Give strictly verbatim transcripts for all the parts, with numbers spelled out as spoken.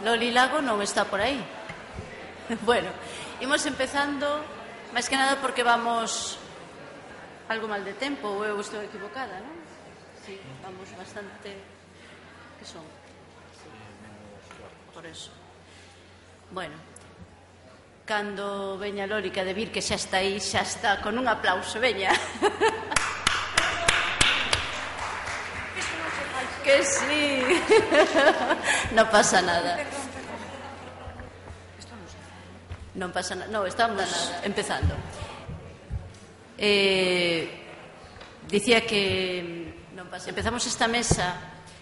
Loli Lago non está por aí. Bueno, imos empezando, máis que nada porque vamos algo mal de tempo, ou eu estou equivocada, non? Sí, vamos bastante... Que son? Por eso. Bueno, cando veña Loli, que a de vir que xa está aí, xa está con un aplauso, veña. Que sí. Non pasa nada. Non pasa nada. Non, estamos empezando. Eh, dicía que non pasa. Empezamos esta mesa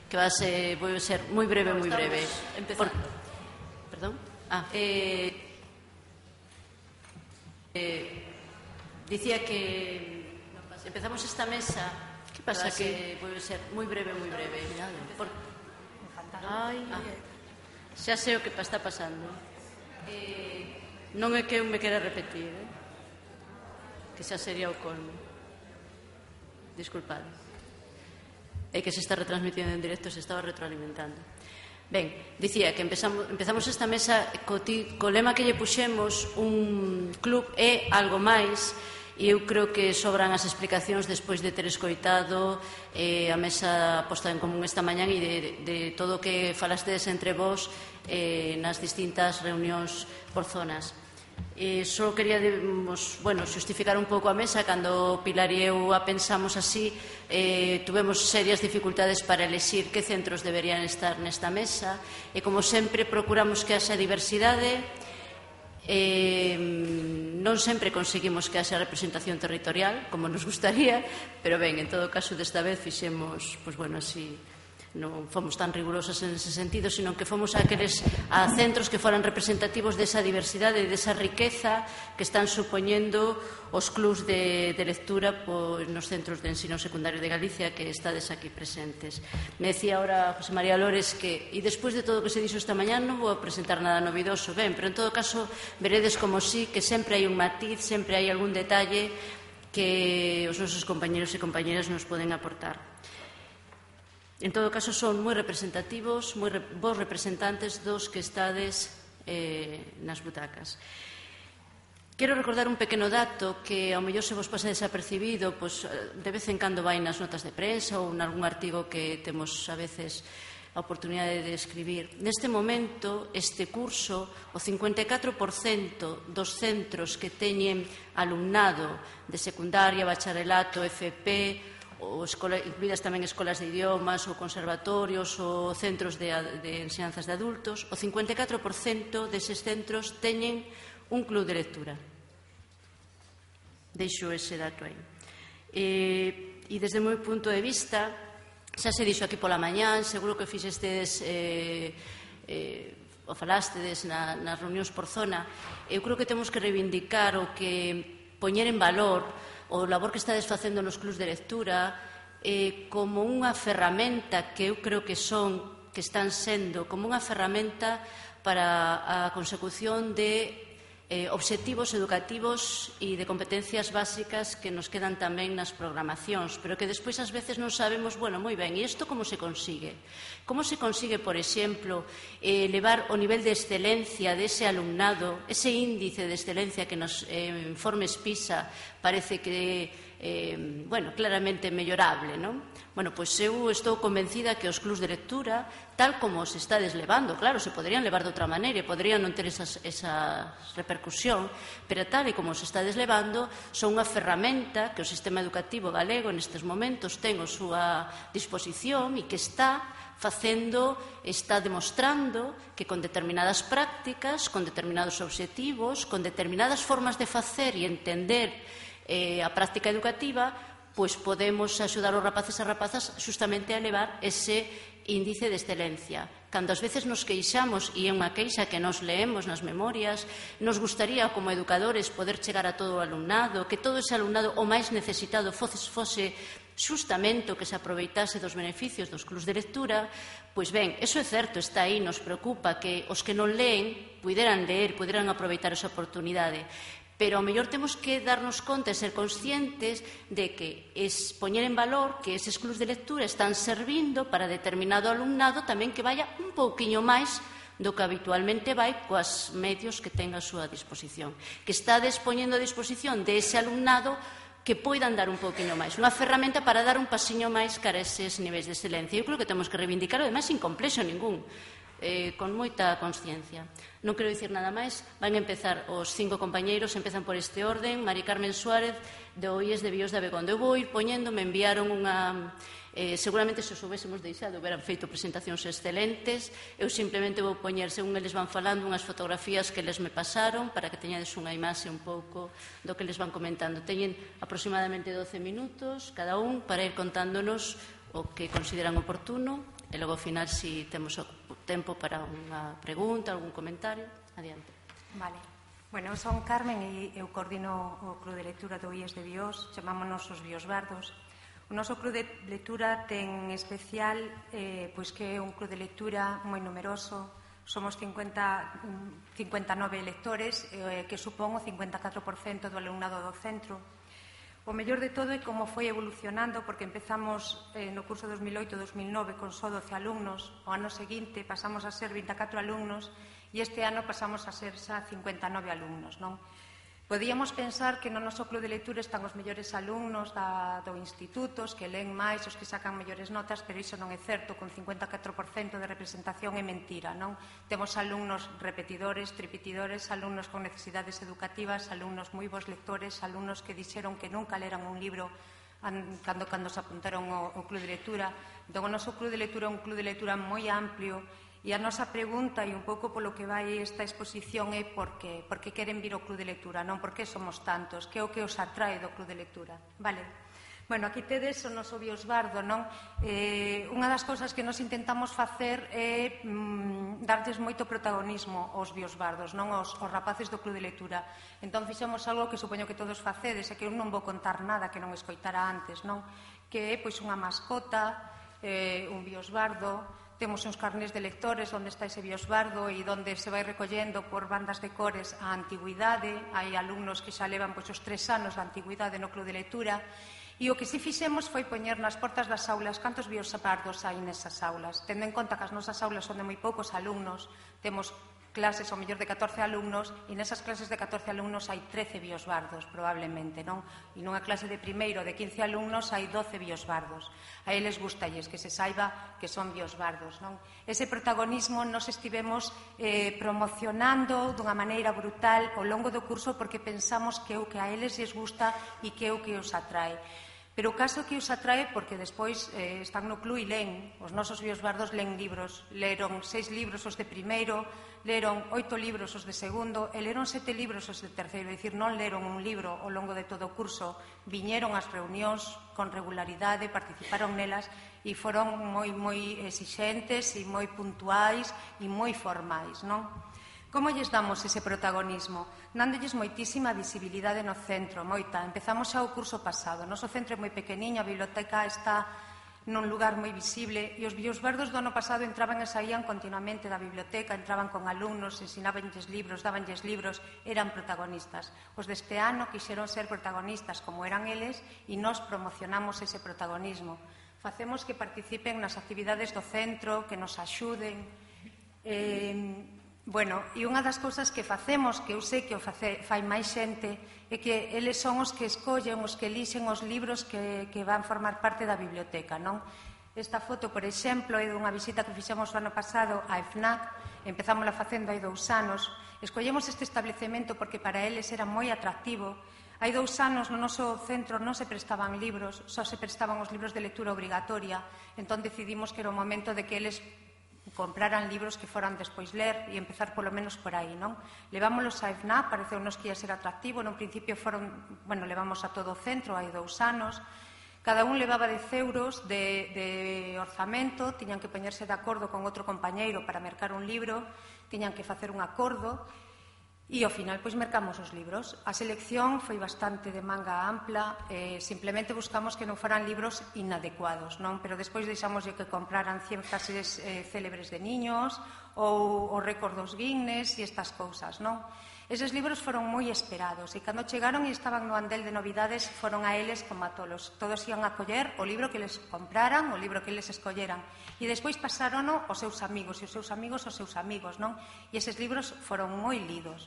que va a ser, voy a ser moi breve, moi breve. Empezando. Por... Perdón. Ah, eh, eh, dicía que non pasa. Empezamos esta mesa. Que pasa que voy a ser moi breve, moi breve. Por... Ai, ah, xa sei o que está pasando. Eh, non é que eu me quera repetir, eh? Que xa sería o colmo. Disculpade. É que se está retransmitindo en directo, se estaba retroalimentando. Ben, dicía que empezamos, empezamos esta mesa co, ti, co lema que lle puxemos, un club é algo máis. E eu creo que sobran as explicacións despois de ter escoitado eh, a mesa posta en común esta mañán e de, de todo o que falastedes entre vós eh, nas distintas reunións por zonas. Eh, só quería debemos, bueno, xustificar un pouco a mesa. Cando Pilar e eu a pensamos así, eh, tuvemos serias dificultades para elexir que centros deberían estar nesta mesa e, como sempre, procuramos que haxa diversidade. Eh, non sempre conseguimos que haxa representación territorial como nos gustaría, pero ben, en todo caso desta vez fixemos, pois bueno, así non fomos tan rigurosas en ese sentido, sino que fomos a aqueles a centros que foran representativos desa diversidade e desa riqueza que están supoñendo os clubs de, de lectura pois, nos centros de ensino secundario de Galicia que estades aquí presentes. Me decía ahora José María Lores que, e despois de todo o que se dixo esta mañán, non vou a presentar nada novidoso, ben, pero en todo caso veredes como sí que sempre hai un matiz, sempre hai algún detalle que os nosos compañeros e compañeras nos poden aportar. En todo caso, son moi representativos, moi re, vos representantes dos que estades eh, nas butacas. Quero recordar un pequeno dato que ao mellor se vos pasa desapercibido, pois, de vez en cando vai nas notas de prensa ou en algún artigo que temos a veces a oportunidade de escribir. Neste momento, este curso, o cincuenta e catro por cento dos centros que teñen alumnado de secundaria, bacharelato, F P, ou escola, incluídas tamén escolas de idiomas ou conservatorios ou centros de, de enseñanzas de adultos, o cincuenta e catro por cento deses centros teñen un club de lectura. Deixo ese dato aí. E, e desde o meu punto de vista, xa se dixo aquí pola mañán, seguro que fixestes eh, eh, o falastedes na, nas reunións por zona, eu creo que temos que reivindicar o que poñer en valor o labor que estades facendo nos clubs de lectura eh, como unha ferramenta que eu creo que son, que están sendo como unha ferramenta para a consecución de eh, obxectivos educativos e de competencias básicas que nos quedan tamén nas programacións, pero que despois ás veces non sabemos, bueno, moi ben, e isto como se consigue? Como se consigue, por exemplo, eh, elevar o nivel de excelencia dese alumnado, ese índice de excelencia que nos eh, informes PISA parece que eh, bueno, claramente mellorable, non? Bueno, pois eu estou convencida que os clubs de lectura, tal como se está deslevando, claro, se poderían levar de outra maneira e poderían non ter esas, esa repercusión, pero tal e como se está deslevando, son unha ferramenta que o sistema educativo galego nestes momentos ten a súa disposición e que está facendo, está demostrando que con determinadas prácticas, con determinados obxectivos, con determinadas formas de facer e entender eh, a práctica educativa, pois podemos axudar os rapaces e rapazas justamente a elevar ese índice de excelencia. Cando ás veces nos queixamos, e é unha queixa que nos leemos nas memorias, nos gustaría como educadores poder chegar a todo o alumnado, que todo ese alumnado o máis necesitado fose, fose justamente o que se aproveitase dos beneficios dos clubs de lectura. Pois ben, eso é certo, está aí, nos preocupa que os que non leen puderan ler, puderan aproveitar esa oportunidade. Pero ao mellor temos que darnos conta e ser conscientes de que es poñer en valor que eses clubs de lectura están servindo para determinado alumnado tamén que vaya un pouquiño máis do que habitualmente vai coas medios que ten a súa disposición, que está dispoñendo a disposición de ese alumnado que poidan dar un pouquinho máis, unha ferramenta para dar un pasiño máis cara a eses niveis de excelencia. Eu creo que temos que reivindicar, ademais, sin complexo ningún, eh, con moita consciencia. Non quero dicir nada máis, van empezar os cinco compañeiros, empezan por este orden. Mari Carmen Suárez, do I E S de Bios de Abegondo. Eu vou ir poñendo, me enviaron unha... Eh, seguramente se os houbésemos deixado houberan feito presentacións excelentes. Eu simplemente vou poñer, según eles van falando, unhas fotografías que eles me pasaron para que teñades unha imaxe un pouco do que les van comentando. Teñen aproximadamente doce minutos cada un para ir contándonos o que consideran oportuno e logo ao final, se temos o tempo para unha pregunta, algún comentario, adiante. Vale. Bueno, eu son Carmen e eu coordino o Club de Lectura do I E S de Bios, chamámonos os Biosbardos. O noso Club de Lectura ten especial eh, pois que é un club de lectura moi numeroso. Somos cincuenta, cincuenta e nove lectores, eh, que supón o cincuenta e catro por cento do alumnado do centro. O mellor de todo é como foi evolucionando, porque empezamos eh, no curso dos mil oito dos mil nove con só doce alumnos. O ano seguinte pasamos a ser vinte e catro alumnos e este ano pasamos a ser xa cincuenta e nove alumnos, non? Podíamos pensar que no noso club de lectura están os mellores alumnos da, do instituto, os que leen máis, os que sacan mellores notas, pero iso non é certo, con cincuenta e catro por cento de representación é mentira, non? Temos alumnos repetidores, tripitidores, alumnos con necesidades educativas, alumnos moi bons lectores, alumnos que dixeron que nunca leran un libro cando, cando se apuntaron ao, ao club de lectura. Entón, o noso club de lectura é un club de lectura moi amplio. E a nosa pregunta, e un pouco polo que vai esta exposición, é por que, por que queren vir ao Club de Lectura, non por que somos tantos, que é o que os atrae do Club de Lectura. Vale. Bueno, aquí tedes o noso Biosbardo, non? Eh, unha das cousas que nos intentamos facer é mm, darlles moito protagonismo aos Biosbardos, non aos, aos rapaces do Club de Lectura. Entón, fixemos algo que supoño que todos facedes, e que eu non vou contar nada que non escoitara antes, non? Que é, pois, unha mascota, eh, un Biosbardo. Temos uns carnés de lectores onde está ese biosbardo e onde se vai recollendo por bandas de cores a antigüidade. Hai alumnos que xa levan pois, os tres anos da antigüidade no Club de Lectura. E o que si fixemos foi poñer nas portas das aulas cantos biosbardos hai nesas aulas. Tendo en conta que as nosas aulas son de moi poucos alumnos, temos clases ao mellor de catorce alumnos e nesas clases de catorce alumnos hai trece biosbardos, probablemente, non? E nunha clase de primeiro de quince alumnos hai doce biosbardos. A eles gustalles que se saiba que son biosbardos, non? Ese protagonismo nos estivemos eh, promocionando dunha maneira brutal ao longo do curso porque pensamos que é o que a eles lles gusta e que é o que os atrae. Pero o caso que os atrae porque despois eh, están no club e leen. Os nosos biosbardos leen libros. Leron seis libros os de primeiro, leron oito libros os de segundo e leron sete libros os de terceiro. É dicir, non leron un libro ao longo de todo o curso. Viñeron ás reunións con regularidade, participaron nelas e foron moi, moi exixentes e moi puntuais e moi formais, non? Como lles damos ese protagonismo? Dándolles moitísima visibilidade no centro, moita. Empezamos xa o curso pasado. O noso centro é moi pequeniño, a biblioteca está nun lugar moi visible e os biosbardos do ano pasado entraban e saían continuamente da biblioteca, entraban con alumnos, ensinabanlles libros, dabanlles libros, eran protagonistas. Os deste ano quixeron ser protagonistas como eran eles e nós promocionamos ese protagonismo. Facemos que participen nas actividades do centro, que nos axuden. Eh, Bueno, e unha das cousas que facemos, que eu sei que o face, fai máis xente, é que eles son os que escollen, os que elixen os libros que, que van formar parte da biblioteca, non? Esta foto, por exemplo, é dunha visita que fixemos o ano pasado á FNAC, empezámola facendo hai dous anos. Escollemos este establecemento porque para eles era moi atractivo. Hai dous anos no noso centro non se prestaban libros, só se prestaban os libros de lectura obrigatoria, entón decidimos que era o momento de que eles compraran libros que foran despois ler e empezar polo menos por aí, non? Levámolos a FNAC, pareceunos que ia ser atractivo, no principio foron, bueno, levamos a todo o centro hai dous anos, cada un levaba dez euros de, de orzamento, tiñan que poñerse de acordo con outro compañeiro para mercar un libro, tiñan que facer un acordo e ao final pois mercamos os libros. A selección foi bastante de manga ampla, eh, simplemente buscamos que non foran libros inadecuados, non? Pero despois deixamos que compraran cien frases eh, célebres de niños ou o récord dos Guinness e estas cousas, non? Eses libros foron moi esperados e cando chegaron e estaban no andel de novidades foron a eles como a tolos. Todos ian a coller o libro que les compraran, o libro que les escolleran e despois pasarono aos seus amigos e os seus amigos aos seus amigos, non? E eses libros foron moi lidos.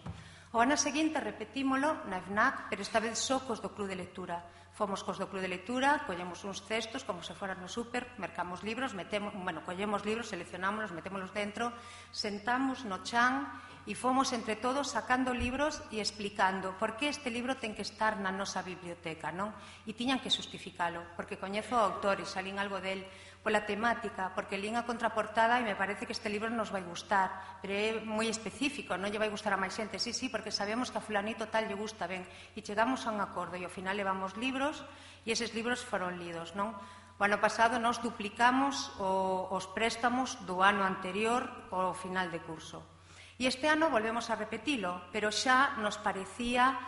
O ano seguinte repetímolo na FNAC, pero esta vez só cos do Club de Lectura. Fomos cos do Club de Lectura, collemos uns cestos como se foran no súper, mercamos libros, metemos, bueno, collemos libros, seleccionámonos, metémolos dentro, sentamos no chan e fomos entre todos sacando libros e explicando por que este libro ten que estar na nosa biblioteca, non? E tiñan que justificalo, porque coñezo o autor e salín algo del, pola temática, porque lín a contraportada e me parece que este libro nos vai gustar, pero é moi específico, non lle vai gustar a máis xente, sí, sí, porque sabemos que a fulanito tal lle gusta, ben, e chegamos a un acordo e ao final levamos libros e eses libros foron lidos, non? O ano pasado nos duplicamos o, os préstamos do ano anterior ao final de curso. E este ano volvemos a repetilo, pero xa nos parecía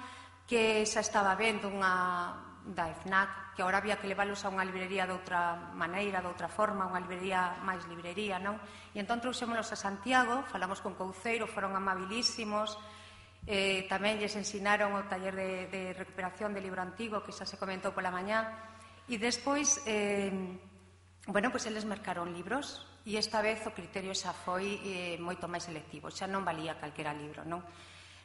que xa estaba vendo unha da FNAC, que agora había que leválos a unha librería de outra maneira, de outra forma, unha librería máis librería, non? E entón trouxémonos a Santiago, falamos con Couceiro, foron amabilísimos, eh, tamén lles ensinaron o taller de, de recuperación de libro antigo, que xa se comentou pola mañá, e despois, eh, bueno, pois eles mercaron libros, e esta vez o criterio xa foi eh, moito máis selectivo, xa non valía calquera libro, non?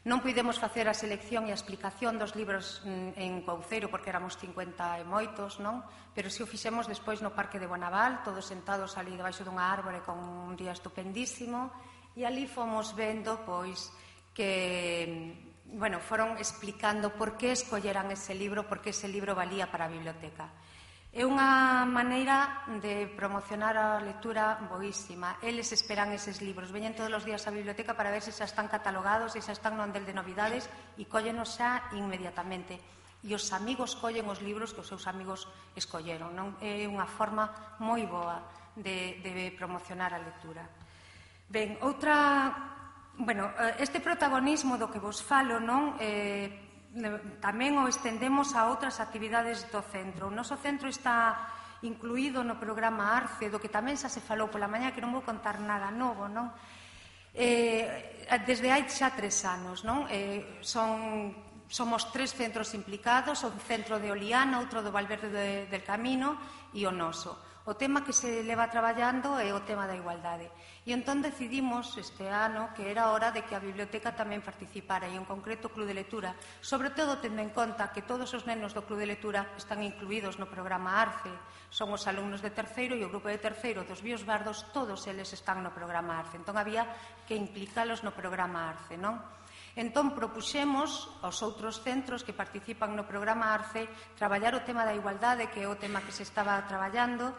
Non puidemos facer a selección e a explicación dos libros en Couceiro porque éramos cincuenta e moitos, non? Pero si o fixemos despois no Parque de Bonaval, todos sentados ali debaixo dunha árbore con un día estupendísimo, e ali fomos vendo, pois, que, bueno, foron explicando por que escolleran ese libro, por que ese libro valía para a biblioteca. É unha maneira de promocionar a lectura boísima. Eles esperan eses libros. Veñen todos os días á biblioteca para ver se xa están catalogados, se xa están no andel de novidades e cóllenos xa inmediatamente. E os amigos collen os libros que os seus amigos escolleron. Non? É unha forma moi boa de, de promocionar a lectura. Ben, outra... Bueno, este protagonismo do que vos falo, non... Eh, tamén o estendemos a outras actividades do centro. O noso centro está incluído no programa ARCE, do que tamén xa se falou pola mañá, que non vou contar nada novo, non? Eh, desde hai xa tres anos, non? Eh, son, somos tres centros implicados, o centro de Oliana, outro do Valverde de, del Camino e o noso. O tema que se leva traballando é o tema da igualdade. E entón decidimos este ano que era hora de que a biblioteca tamén participara, e en concreto o Club de Lectura, sobre todo tendo en conta que todos os nenos do Club de Lectura están incluídos no programa ARCE, son os alumnos de terceiro e o grupo de terceiro dos Bios Bardos, todos eles están no programa ARCE, entón había que implicalos no programa ARCE, non? Entón propuxemos aos outros centros que participan no programa ARCE traballar o tema da igualdade, que é o tema que se estaba traballando,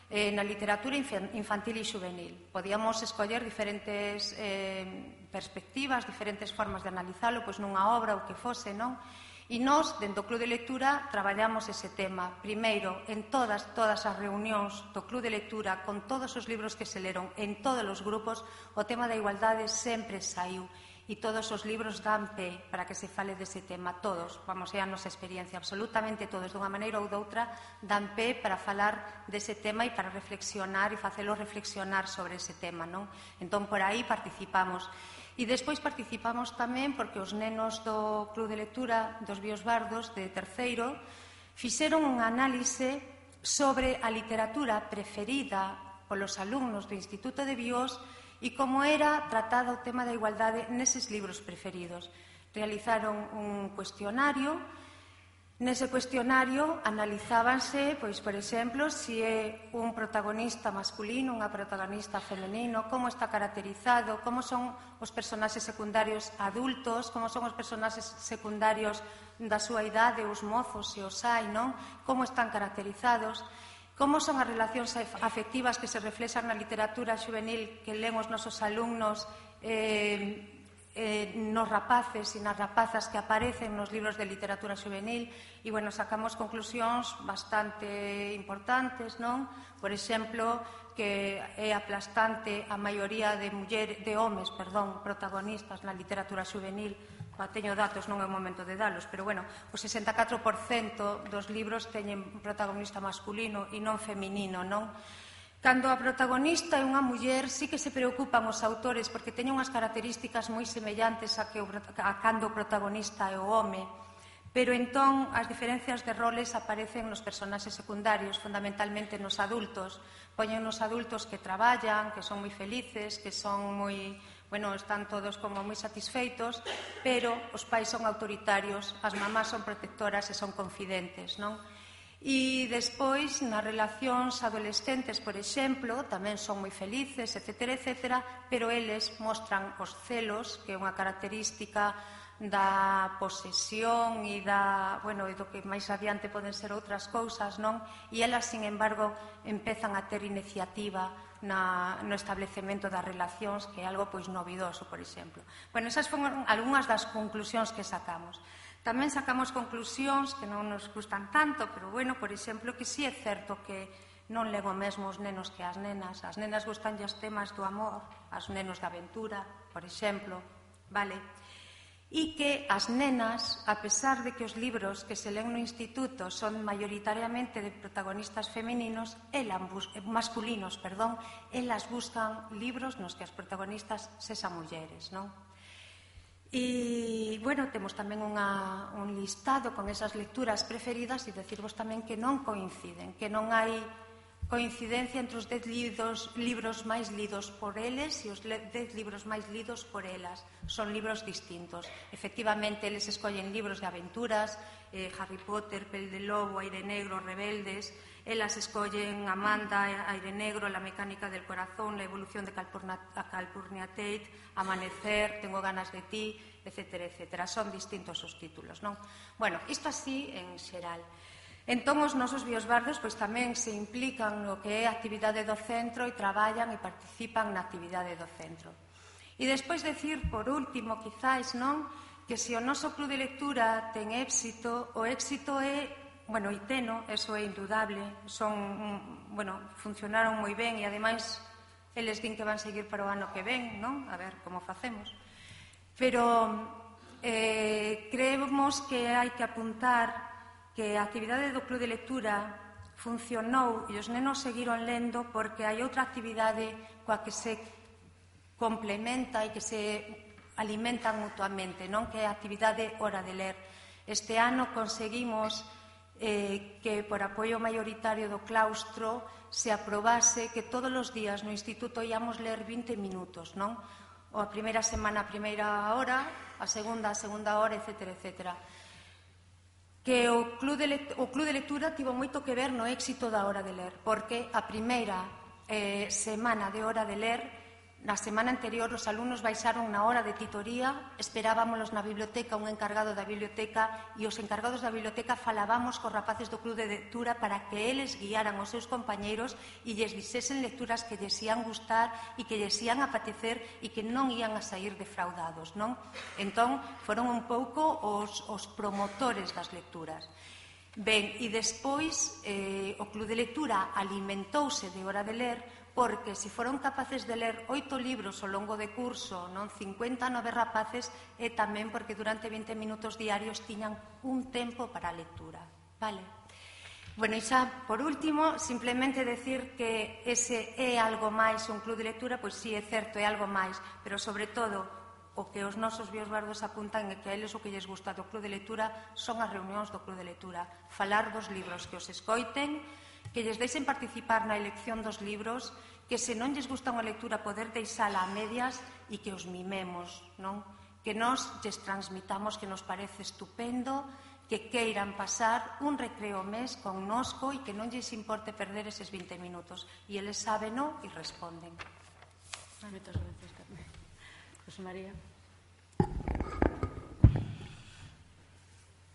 Eh, na literatura infantil e juvenil. Podíamos escoller diferentes eh, perspectivas, diferentes formas de analizalo, pois nunha obra ou que fose, non? E nós, dentro do Club de Lectura, traballamos ese tema. Primeiro, en todas, todas as reunións do Club de Lectura, con todos os libros que se leron, en todos os grupos, o tema da igualdade sempre saiu. E todos os libros dan pé para que se fale dese tema, todos, vamos, é a nosa experiencia, absolutamente todos, dunha maneira ou doutra, dan pé para falar dese tema e para reflexionar e facelo reflexionar sobre ese tema, non? Entón, por aí participamos. E despois participamos tamén porque os nenos do Club de Lectura dos Bios Bardos, de terceiro, fixeron un análise sobre a literatura preferida polos alumnos do Instituto de Bios e como era tratado o tema da igualdade neses libros preferidos. Realizaron un cuestionario. Nese cuestionario analizábanse, pois, por exemplo, se é un protagonista masculino, unha protagonista femenino, como está caracterizado, como son os personaxes secundarios adultos, como son os personaxes secundarios da súa idade, os mozos e os hai, non? Como están caracterizados. Como son as relacións afectivas que se reflexan na literatura juvenil que len os nosos alumnos eh, eh, nos rapaces e nas rapazas que aparecen nos libros de literatura juvenil e, bueno, sacamos conclusións bastante importantes, non? Por exemplo, que é aplastante a maioría de muller, de homes, perdón, protagonistas na literatura juvenil. Teño datos, non é o momento de dalos, pero, bueno, o sesenta e catro por cento dos libros teñen un protagonista masculino e non feminino, non? Cando a protagonista é unha muller, sí que se preocupan os autores porque teñen unhas características moi semellantes a, que o, a cando o protagonista é o home, pero entón as diferencias de roles aparecen nos personaxes secundarios, fundamentalmente nos adultos. Poñen nos adultos que traballan, que son moi felices, que son moi... Bueno, están todos como moi satisfeitos, pero os pais son autoritarios, as mamás son protectoras e son confidentes, non? E despois, nas relacións adolescentes, por exemplo, tamén son moi felices, etcétera, etcétera, pero eles mostran os celos, que é unha característica da posesión e da, bueno, e do que máis adiante poden ser outras cousas, non? E elas, sin embargo, empezan a ter iniciativa na, no establecemento das relacións, que é algo pois novidoso, por exemplo. Bueno, esas foron algunhas das conclusións que sacamos. Tamén sacamos conclusións que non nos gustan tanto, pero, bueno, por exemplo, que sí é certo que non len o mesmo os nenos que as nenas. As nenas gustan os temas do amor, as nenos da aventura, por exemplo, vale? E que as nenas, a pesar de que os libros que se len no instituto son maioritariamente de protagonistas femininos, elas, masculinos, perdón, elas buscan libros nos que as protagonistas sexan mulleres, non? E, bueno, temos tamén unha, un listado con esas lecturas preferidas e decirvos tamén que non coinciden, que non hai coincidencia entre os dez libros, libros máis lidos por eles e os dez libros máis lidos por elas. Son libros distintos. Efectivamente, eles escollen libros de aventuras, eh, Harry Potter, Pel de Lobo, Aire Negro, Rebeldes. Elas escollen Amanda, Aire Negro, La mecánica del corazón, La evolución de Calpurnia Tate, Amanecer, Tengo ganas de ti, etcétera, etcétera. Son distintos os títulos, non? Bueno, isto así en xeral. Entón, os nosos biosbardos pois, tamén se implican no que é a actividade do centro e traballan e participan na actividade do centro. E despois decir, por último, quizáis, non, que se o noso club de lectura ten éxito, o éxito é, bueno, e teno, eso é indudable, son, bueno, funcionaron moi ben e, ademais, eles din que van seguir para o ano que ven, non? A ver como facemos. Pero eh, creemos que hai que apuntar que a actividade do Club de Lectura funcionou e os nenos seguiron lendo porque hai outra actividade coa que se complementa e que se alimentan mutuamente, non? Que é a actividade Hora de Ler. Este ano conseguimos eh, que por apoio maioritario do claustro se aprobase que todos os días no instituto íamos ler vinte minutos, non? O a primeira semana a primeira hora, a segunda a segunda hora, etcétera, etcétera. Que o Club de, Lect- o Club de Lectura tivo moito que ver no éxito da Hora de Ler, porque a primeira eh, semana de Hora de Ler, na semana anterior os alumnos baixaron na hora de titoría, esperábamos na biblioteca un encargado da biblioteca e os encargados da biblioteca falábamos cos rapaces do Club de Lectura para que eles guiaran os seus compañeiros e lles dixesen lecturas que lles ian gustar e que lles ian apetecer e que non ian a sair defraudados, non? Entón, foron un pouco os, os promotores das lecturas. Ben, e despois eh, o Club de Lectura alimentouse de Hora de Ler porque se foron capaces de ler oito libros ao longo de curso, non cincuenta e nove rapaces, e tamén porque durante vinte minutos diarios tiñan un tempo para a lectura. Vale? Bueno, e xa, por último, simplemente decir que ese é algo máis, un club de lectura, pois sí, é certo, é algo máis, pero sobre todo o que os nosos biosbardos apuntan é que a eles o que lles gusta do club de lectura son as reunións do club de lectura, falar dos libros, que os escoiten, que lles deixen participar na elección dos libros, que se non lles gusta unha lectura poder deixala a medias e que os mimemos, non? Que nos lles transmitamos que nos parece estupendo, que queiran pasar un recreo mes connosco e que non lles importe perder eses vinte minutos. E eles sábeno e responden. Moitas gracias, Carmen. José María.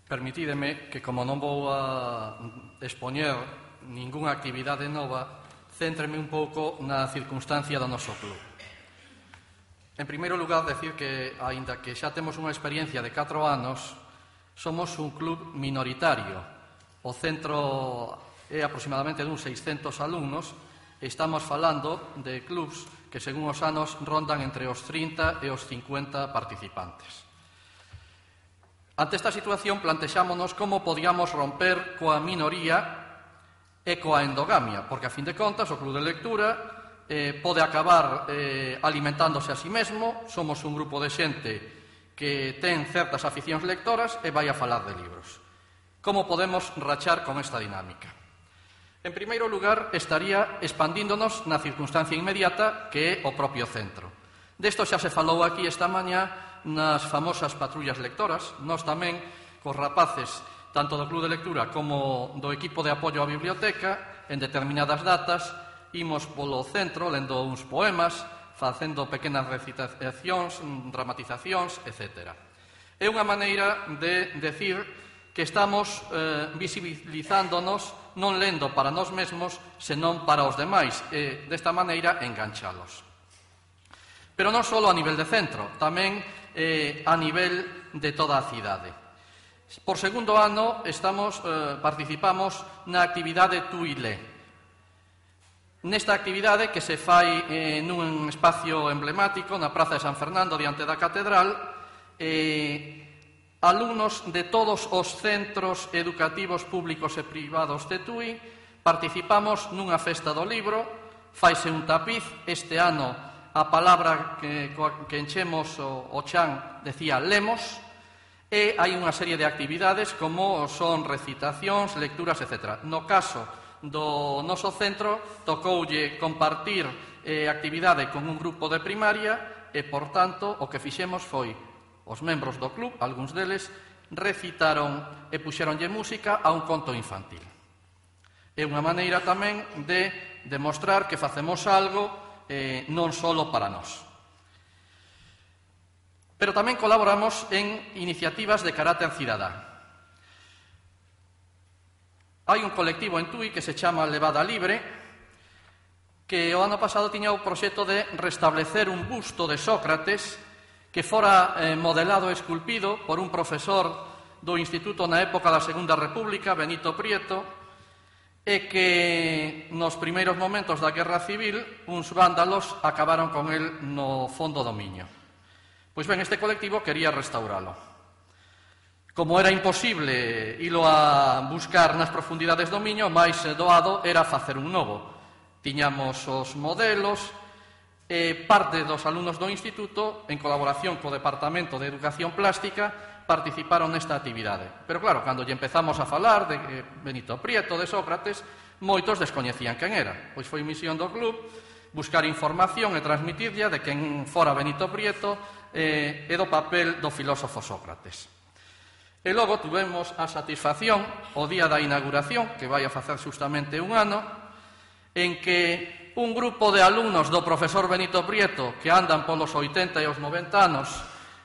Permitídeme que, como non vou a expoñer ningunha actividade nova, céntreme un pouco na circunstancia do noso club. En primeiro lugar, decir que, aínda que xa temos unha experiencia de catro anos, somos un club minoritario. O centro é aproximadamente dun seiscentos alumnos e estamos falando de clubs que, según os anos, rondan entre os trinta e os cincuenta participantes. Ante esta situación, plantexámonos como podíamos romper coa minoría e coa endogamia, porque a fin de contas o Club de Lectura eh, pode acabar eh, alimentándose a sí mesmo. Somos un grupo de xente que ten certas aficións lectoras e vai a falar de libros. Como podemos rachar con esta dinámica? En primeiro lugar, estaría expandíndonos na circunstancia inmediata que é o propio centro. Desto xa se falou aquí esta mañá nas famosas patrullas lectoras. Nós tamén, cos rapaces, tanto do Club de Lectura como do equipo de apoio á biblioteca, en determinadas datas, imos polo centro lendo uns poemas, facendo pequenas recitacións, dramatizacións, etcétera. É unha maneira de decir que estamos eh, visibilizándonos non lendo para nós mesmos, senón para os demais, e desta maneira enganchalos. Pero non só a nivel de centro, tamén eh, a nivel de toda a cidade. Por segundo ano estamos, eh, participamos na actividade Tú e Lé. Nesta actividade que se fai eh, nun espacio emblemático na Praza de San Fernando diante da Catedral, eh, alumnos de todos os centros educativos públicos e privados de Tui participamos nunha festa do libro, faise un tapiz. Este ano a palabra que, que enchemos o, o chan decía lemos, e hai unha serie de actividades como son recitacións, lecturas, etcétera. No caso do noso centro tocoulle compartir eh, actividade con un grupo de primaria e, por tanto, o que fixemos foi os membros do club, algúns deles, recitaron e puxeronlle música a un conto infantil. É unha maneira tamén de demostrar que facemos algo eh, non só para nós. Pero tamén colaboramos en iniciativas de carácter cidadá. Hai un colectivo en Tui que se chama Levada Libre, que o ano pasado tiña o proxecto de restablecer un busto de Sócrates que fora eh, modelado e esculpido por un profesor do Instituto na época da Segunda República, Benito Prieto, e que nos primeiros momentos da Guerra Civil uns vándalos acabaron con el no fondo do Miño. Pois ben, este colectivo quería restauralo. Como era imposible ilo a buscar nas profundidades do Miño, máis doado era facer un novo. Tiñamos os modelos e parte dos alumnos do instituto, en colaboración co Departamento de Educación Plástica, participaron nesta actividade. Pero claro, cando lle empezamos a falar de Benito Prieto, de Sócrates, moitos descoñecían quen era. Pois foi misión do club buscar información e transmitirlla de quen fora Benito Prieto e do papel do filósofo Sócrates. E logo tuvemos a satisfacción, o día da inauguración, que vai a facer justamente un ano, en que un grupo de alumnos do profesor Benito Prieto, que andan polos oitenta e os noventa anos,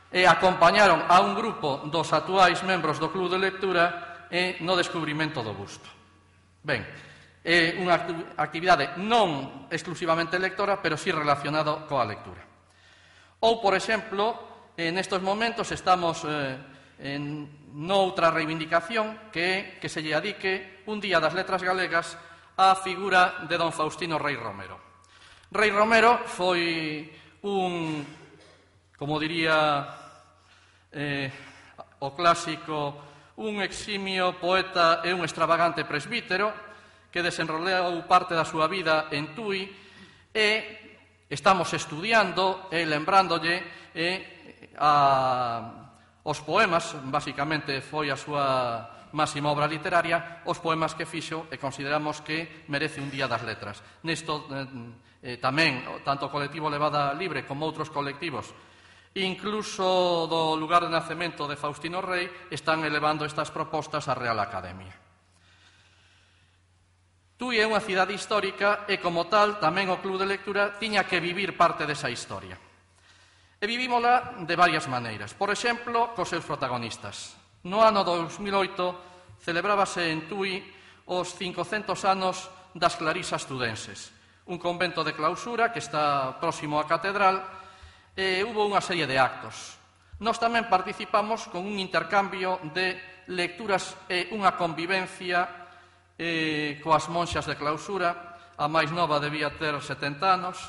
e acompañaron a un grupo dos actuais membros do Club de Lectura e no descubrimento do busto. Ben, é unha actividade non exclusivamente lectora, pero sí relacionada coa lectura. Ou, por exemplo, nestes momentos estamos eh, en noutra reivindicación que é que se lle adique un Día das Letras Galegas á figura de don Faustino Rei Romero. Rei Romero foi un, como diría eh, o clásico, un eximio poeta e un extravagante presbítero que desenroleou parte da súa vida en Tui e estamos estudiando e lembrándolle e, a os poemas, basicamente foi a súa máxima obra literaria, os poemas que fixo e consideramos que merece un Día das Letras. Nesto eh, tamén, tanto o colectivo Levada Libre como outros colectivos, incluso do lugar de nacemento de Faustino Rei, están elevando estas propostas á Real Academia. Tui é unha cidade histórica e, como tal, tamén o Club de Lectura tiña que vivir parte desa historia. E vivímola de varias maneiras. Por exemplo, cos seus protagonistas. No ano dos mil oito celebrábase en Tui os cincocentos anos das Clarisas Tudenses, un convento de clausura que está próximo á catedral, e hubo unha serie de actos. Nós tamén participamos con un intercambio de lecturas e unha convivencia eh, coas monxas de clausura. A máis nova debía ter setenta anos.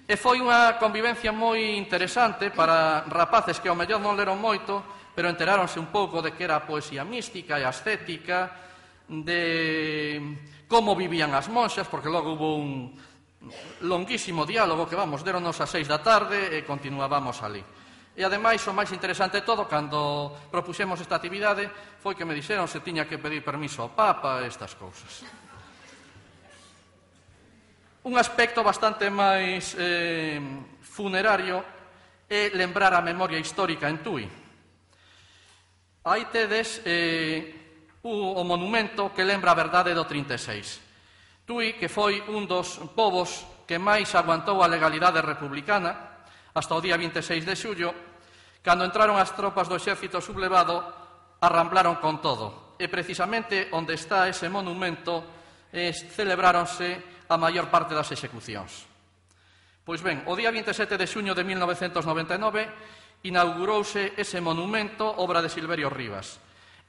E foi unha convivencia moi interesante para rapaces que ao mellor non leron moito, pero enteráronse un pouco de que era a poesía mística e ascética, de como vivían as monxas, porque logo hubo un longuísimo diálogo que, vamos, deronos a seis da tarde e continuábamos ali. E, ademais, o máis interesante de todo, cando propuxemos esta actividade, foi que me dixeron se tiña que pedir permiso ao Papa e estas cousas. Un aspecto bastante máis eh, funerario é lembrar a memoria histórica en Tui. Aí tedes eh, o monumento que lembra a verdade do trinta e seis. Tui, que foi un dos povos que máis aguantou a legalidade republicana hasta o día vinte e seis de xullo, cando entraron as tropas do exército sublevado, arramblaron con todo. E precisamente onde está ese monumento eh, celebráronse a maior parte das execucións. Pois ben, o día vinte e sete de xuño de mil novecentos noventa e nove inaugurouse ese monumento, obra de Silverio Rivas.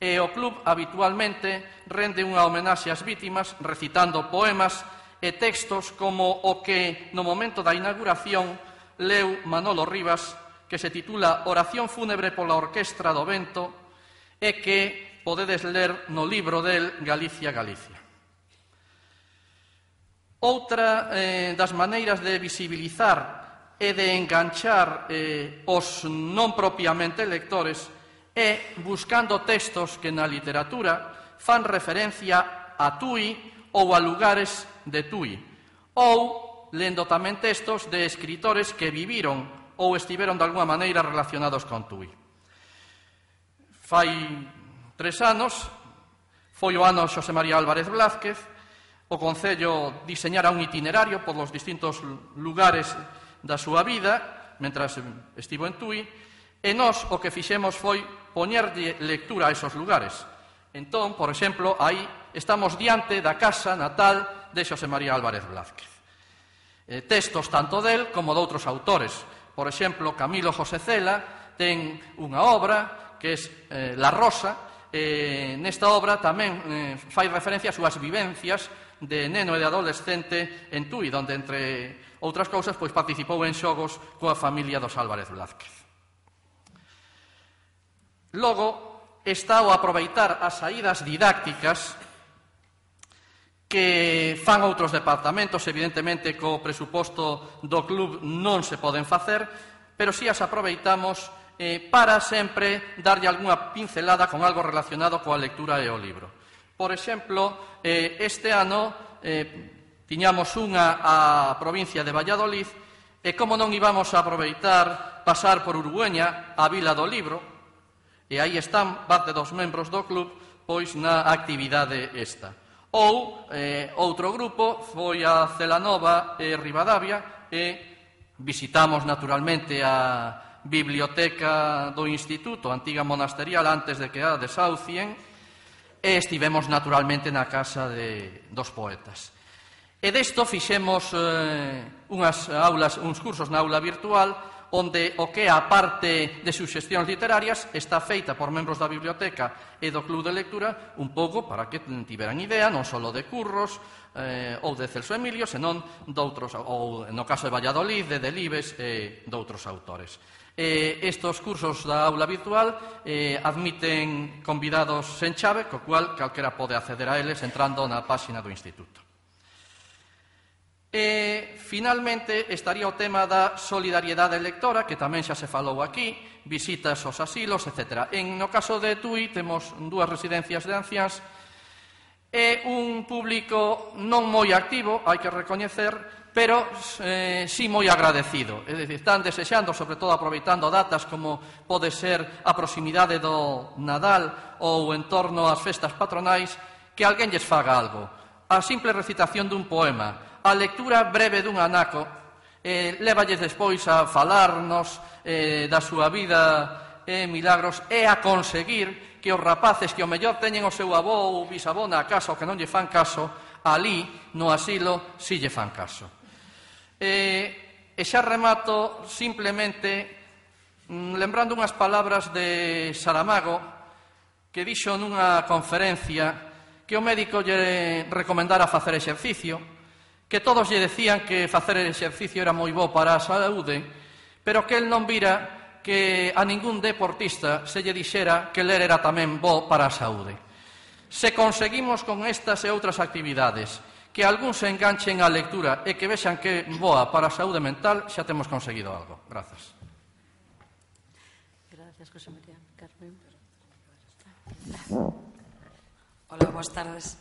E o club habitualmente rende unha homenaxe ás vítimas recitando poemas e textos como o que no momento da inauguración leu Manolo Rivas, que se titula Oración fúnebre pola Orquestra do Vento e que podedes ler no libro del Galicia, Galicia. Outra eh, das maneiras de visibilizar e de enganchar eh, os non propiamente lectores é buscando textos que na literatura fan referencia a Tui ou a lugares de Tui, ou lendo tamén textos de escritores que viviron ou estiveron de alguma maneira relacionados con Tui. Fai tres anos, foi o ano Xosé María Álvarez Blázquez, o Concello diseñara un itinerario por los distintos lugares da súa vida, mentras estivo en Tui, e nós o que fixemos foi poñerlle lectura a esos lugares. Entón, por exemplo, aí estamos diante da casa natal de Xosé María Álvarez Blázquez. Eh, textos tanto del como de outros autores. Por exemplo, Camilo José Cela ten unha obra que é eh, La Rosa, e nesta obra tamén eh, fai referencia ás súas vivencias de neno e de adolescente en Tui, onde, entre outras cousas, pois participou en xogos coa familia dos Álvarez Blázquez. Logo, está o aproveitar as saídas didácticas que fan outros departamentos, evidentemente co presuposto do club non se poden facer, pero si as aproveitamos eh, para sempre darlle algunha pincelada con algo relacionado coa lectura e o libro. Por exemplo, eh, este ano eh, tiñamos unha a provincia de Valladolid e como non íbamos a aproveitar pasar por Urugueña, a Vila do Libro, e aí están parte dos membros do club pois na actividade esta. Ou eh, outro grupo foi a Celanova e Ribadavia e visitamos naturalmente a biblioteca do Instituto, antiga monasterial, antes de que a desaucien, e estivemos naturalmente na casa de, dos poetas. E desto fixemos eh, unhas aulas, uns cursos na aula virtual, onde o que a parte de suxestións literarias está feita por membros da biblioteca e do club de lectura un pouco para que tiveran idea non só de Curros eh, ou de Celso Emilio, senón doutros, ou no caso de Valladolid, de Delibes e doutros autores. Eh, estos cursos da aula virtual eh, admiten convidados sen chave, co cual calquera pode acceder a eles entrando na páxina do Instituto. E, finalmente, estaría o tema da solidariedade lectora, que tamén xa se falou aquí, visitas aos asilos, etcétera. En no caso de Tui temos dúas residencias de anciáns e un público non moi activo, hai que recoñecer, pero eh, sí moi agradecido. É dicir, están desexando, sobre todo aproveitando datas como pode ser a proximidade do Nadal ou en torno ás festas patronais, que alguén lles faga algo. A simple recitación dun poema, a lectura breve dun anaco, eh, levalles despois a falarnos eh, da súa vida e eh, milagros e a conseguir que os rapaces que o mellor teñen o seu avó ou bisavó na casa ou que non lle fan caso, ali, no asilo, si lle fan caso. E, e xa remato simplemente mm, lembrando unhas palabras de Saramago que dixo nunha conferencia que o médico lle recomendara facer exercicio, que todos lle decían que facer exercicio era moi bo para a saúde, pero que el non vira que a ningún deportista se lle dixera que ler era tamén bo para a saúde. Se conseguimos con estas e outras actividades que algún se enganchen á lectura e que vexan que é boa para a saúde mental, xa temos conseguido algo. Grazas. Gracias, José María. Carmen. Hola, boas tardes.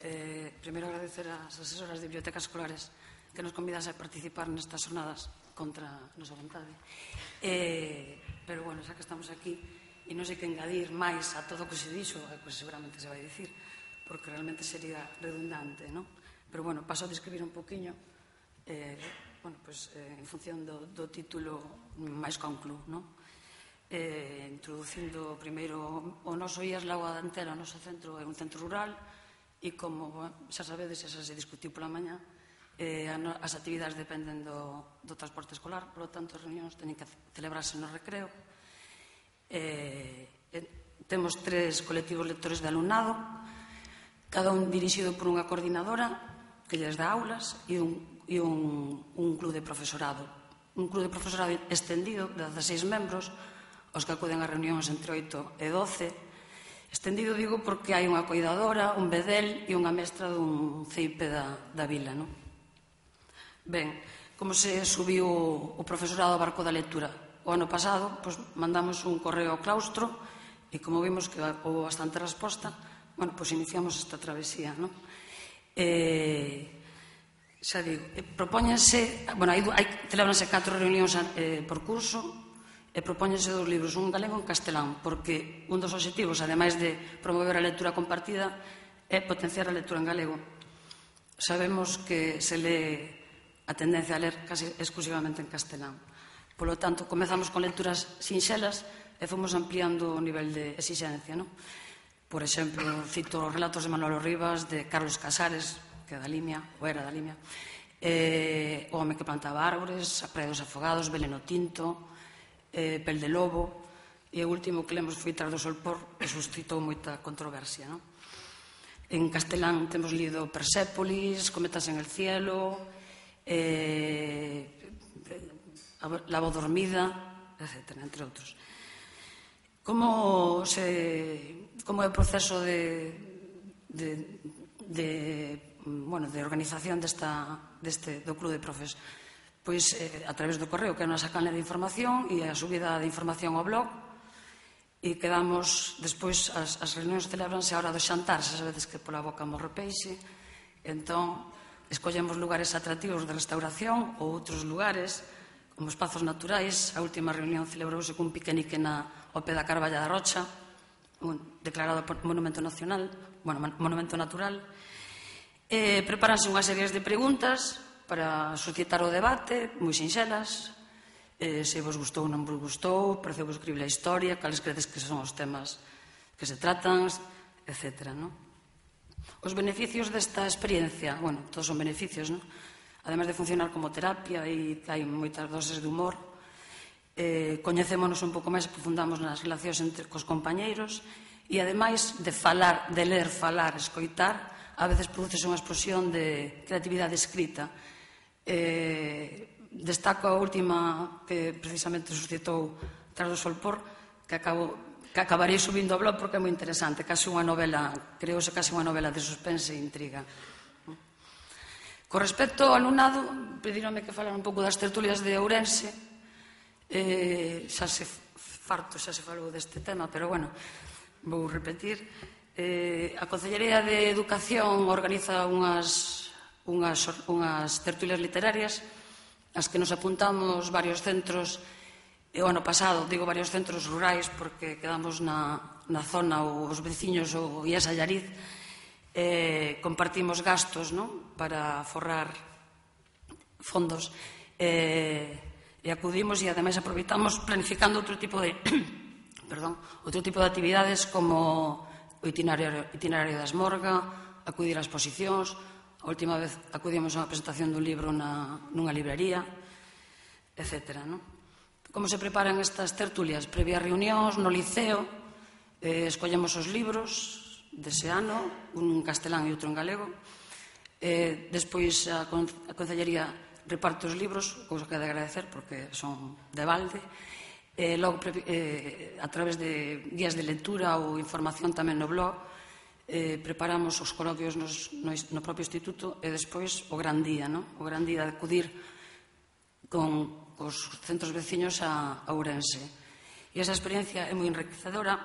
Eh, primeiro agradecer ás asesoras de bibliotecas escolares que nos convidas a participar nestas jornadas contra a nosa vontade. Eh, pero, bueno, xa que estamos aquí, e non sei que engadir máis a todo o que se dixo, pues seguramente se vai dicir, porque realmente sería redundante, non? Pero, bueno, paso a describir un poquinho, eh, bueno, pues, eh, en función do, do título máis ca un club, non? Eh, introducindo primeiro o noso I A S Lagoa da Antela, o noso centro é un centro rural, e como bueno, xa sabedes, xa se discutiu pola mañá, eh, as actividades dependen do, do transporte escolar, polo tanto, as reunións teñen que celebrarse no recreo. Eh, eh, temos tres colectivos lectores de alumnado, cada un dirixido por unha coordinadora que lles dá aulas e un, e un, un club de profesorado. Un club de profesorado extendido de dezaseis membros, os que acuden a reunións entre oito e doce. Extendido digo porque hai unha coidadora, un bedel e unha mestra dun C I P da, da vila, non? Ben, como se subiu o profesorado ao barco da lectura? O ano pasado, pois, mandamos un correo ao claustro e como vimos que houve bastante resposta, bueno, pois iniciamos esta travesía, non? Eh, xa digo, eh, propóñense, bueno, hai, hai, celebranse catro reunións eh, por curso e propóñense dos libros, un galego e un castelán, porque un dos obxectivos, ademais de promover a lectura compartida, é potenciar a lectura en galego. Sabemos que se lee a tendencia a ler casi exclusivamente en castelán. Por lo tanto, comezamos con lecturas sinxelas e fomos ampliando o nivel de exigencia, non? Por exemplo, cito os relatos de Manolo Rivas, de Carlos Casares, que é da Limia, ou era da Limia, eh, O home que plantaba árbores, A praia dos afogados, Veleno tinto, eh, Pel de lobo, e o último que lemos foi Tras do solpor, que suscitou moita controversia, non? En castelán temos lido Persépolis, Cometas en el cielo, eh, La voz dormida, etcétera, entre outros. Como, se, como é o proceso de, de, de, bueno, de organización desta, deste, do club de profes? Pois eh, a través do correo, que é unha canle de información e a subida de información ao blog, e quedamos, despois, as, as reunións celebranse a hora do xantar, xa sabedes que pola boca morre peixe, entón escollemos lugares atractivos de restauración ou outros lugares, como espazos naturais. A última reunión celebrouse cun piquenique na ao pé da Carballa da Rocha, un, declarado Monumento Nacional, bueno, Monumento Natural. Eh, preparanse unhas series de preguntas para suscitar o debate, moi sinxelas, eh, se vos gustou ou non vos gustou, pareceu vos crible a historia, cales credes que son os temas que se tratan, etcétera, non? Os beneficios desta experiencia, bueno, todos son beneficios, non? Ademais de funcionar como terapia e hai moitas doses de humor, eh, coñecémonos un pouco máis, profundamos nas relacións entre cos compañeiros e ademais de falar, de ler, falar, escoitar, a veces produce unha explosión de creatividade escrita. Eh, destaco a última que precisamente suscitou Tras do solpor, que acabo que acabarei subindo ao blog porque é moi interesante, casi unha novela, creouse casi unha novela de suspense e intriga. Con respecto ao alumnado, pedíronme que falara un pouco das tertulias de Ourense, eh, xa se farto, xa se falou deste tema, pero bueno, vou repetir. Eh, a Concellería de Educación organiza unhas, unhas, unhas tertulias literarias, as que nos apuntamos varios centros. E o ano pasado, digo varios centros rurais porque quedamos na, na zona, os veciños, o I E S Allariz, eh, compartimos gastos, non? Para forrar fondos, eh, e acudimos e ademais aproveitamos planificando outro tipo de perdón, outro tipo de actividades como o itinerario, itinerario da Esmorga, acudir a exposicións. A última vez acudimos a unha presentación dun libro na, nunha librería, etcétera, non? Como se preparan estas tertulias? Previa reunións no liceo, eh, escollemos os libros dese ano, un en castelán e outro en galego. Eh, despois a, con, a Concellería reparte os libros, cousa que ha de agradecer porque son de balde. Eh, logo, eh, a través de guías de lectura ou información tamén no blog, preparamos os coloquios no propio instituto e despois o gran día, o gran día de acudir con os centros veciños a Ourense. E esa experiencia é moi enriquecedora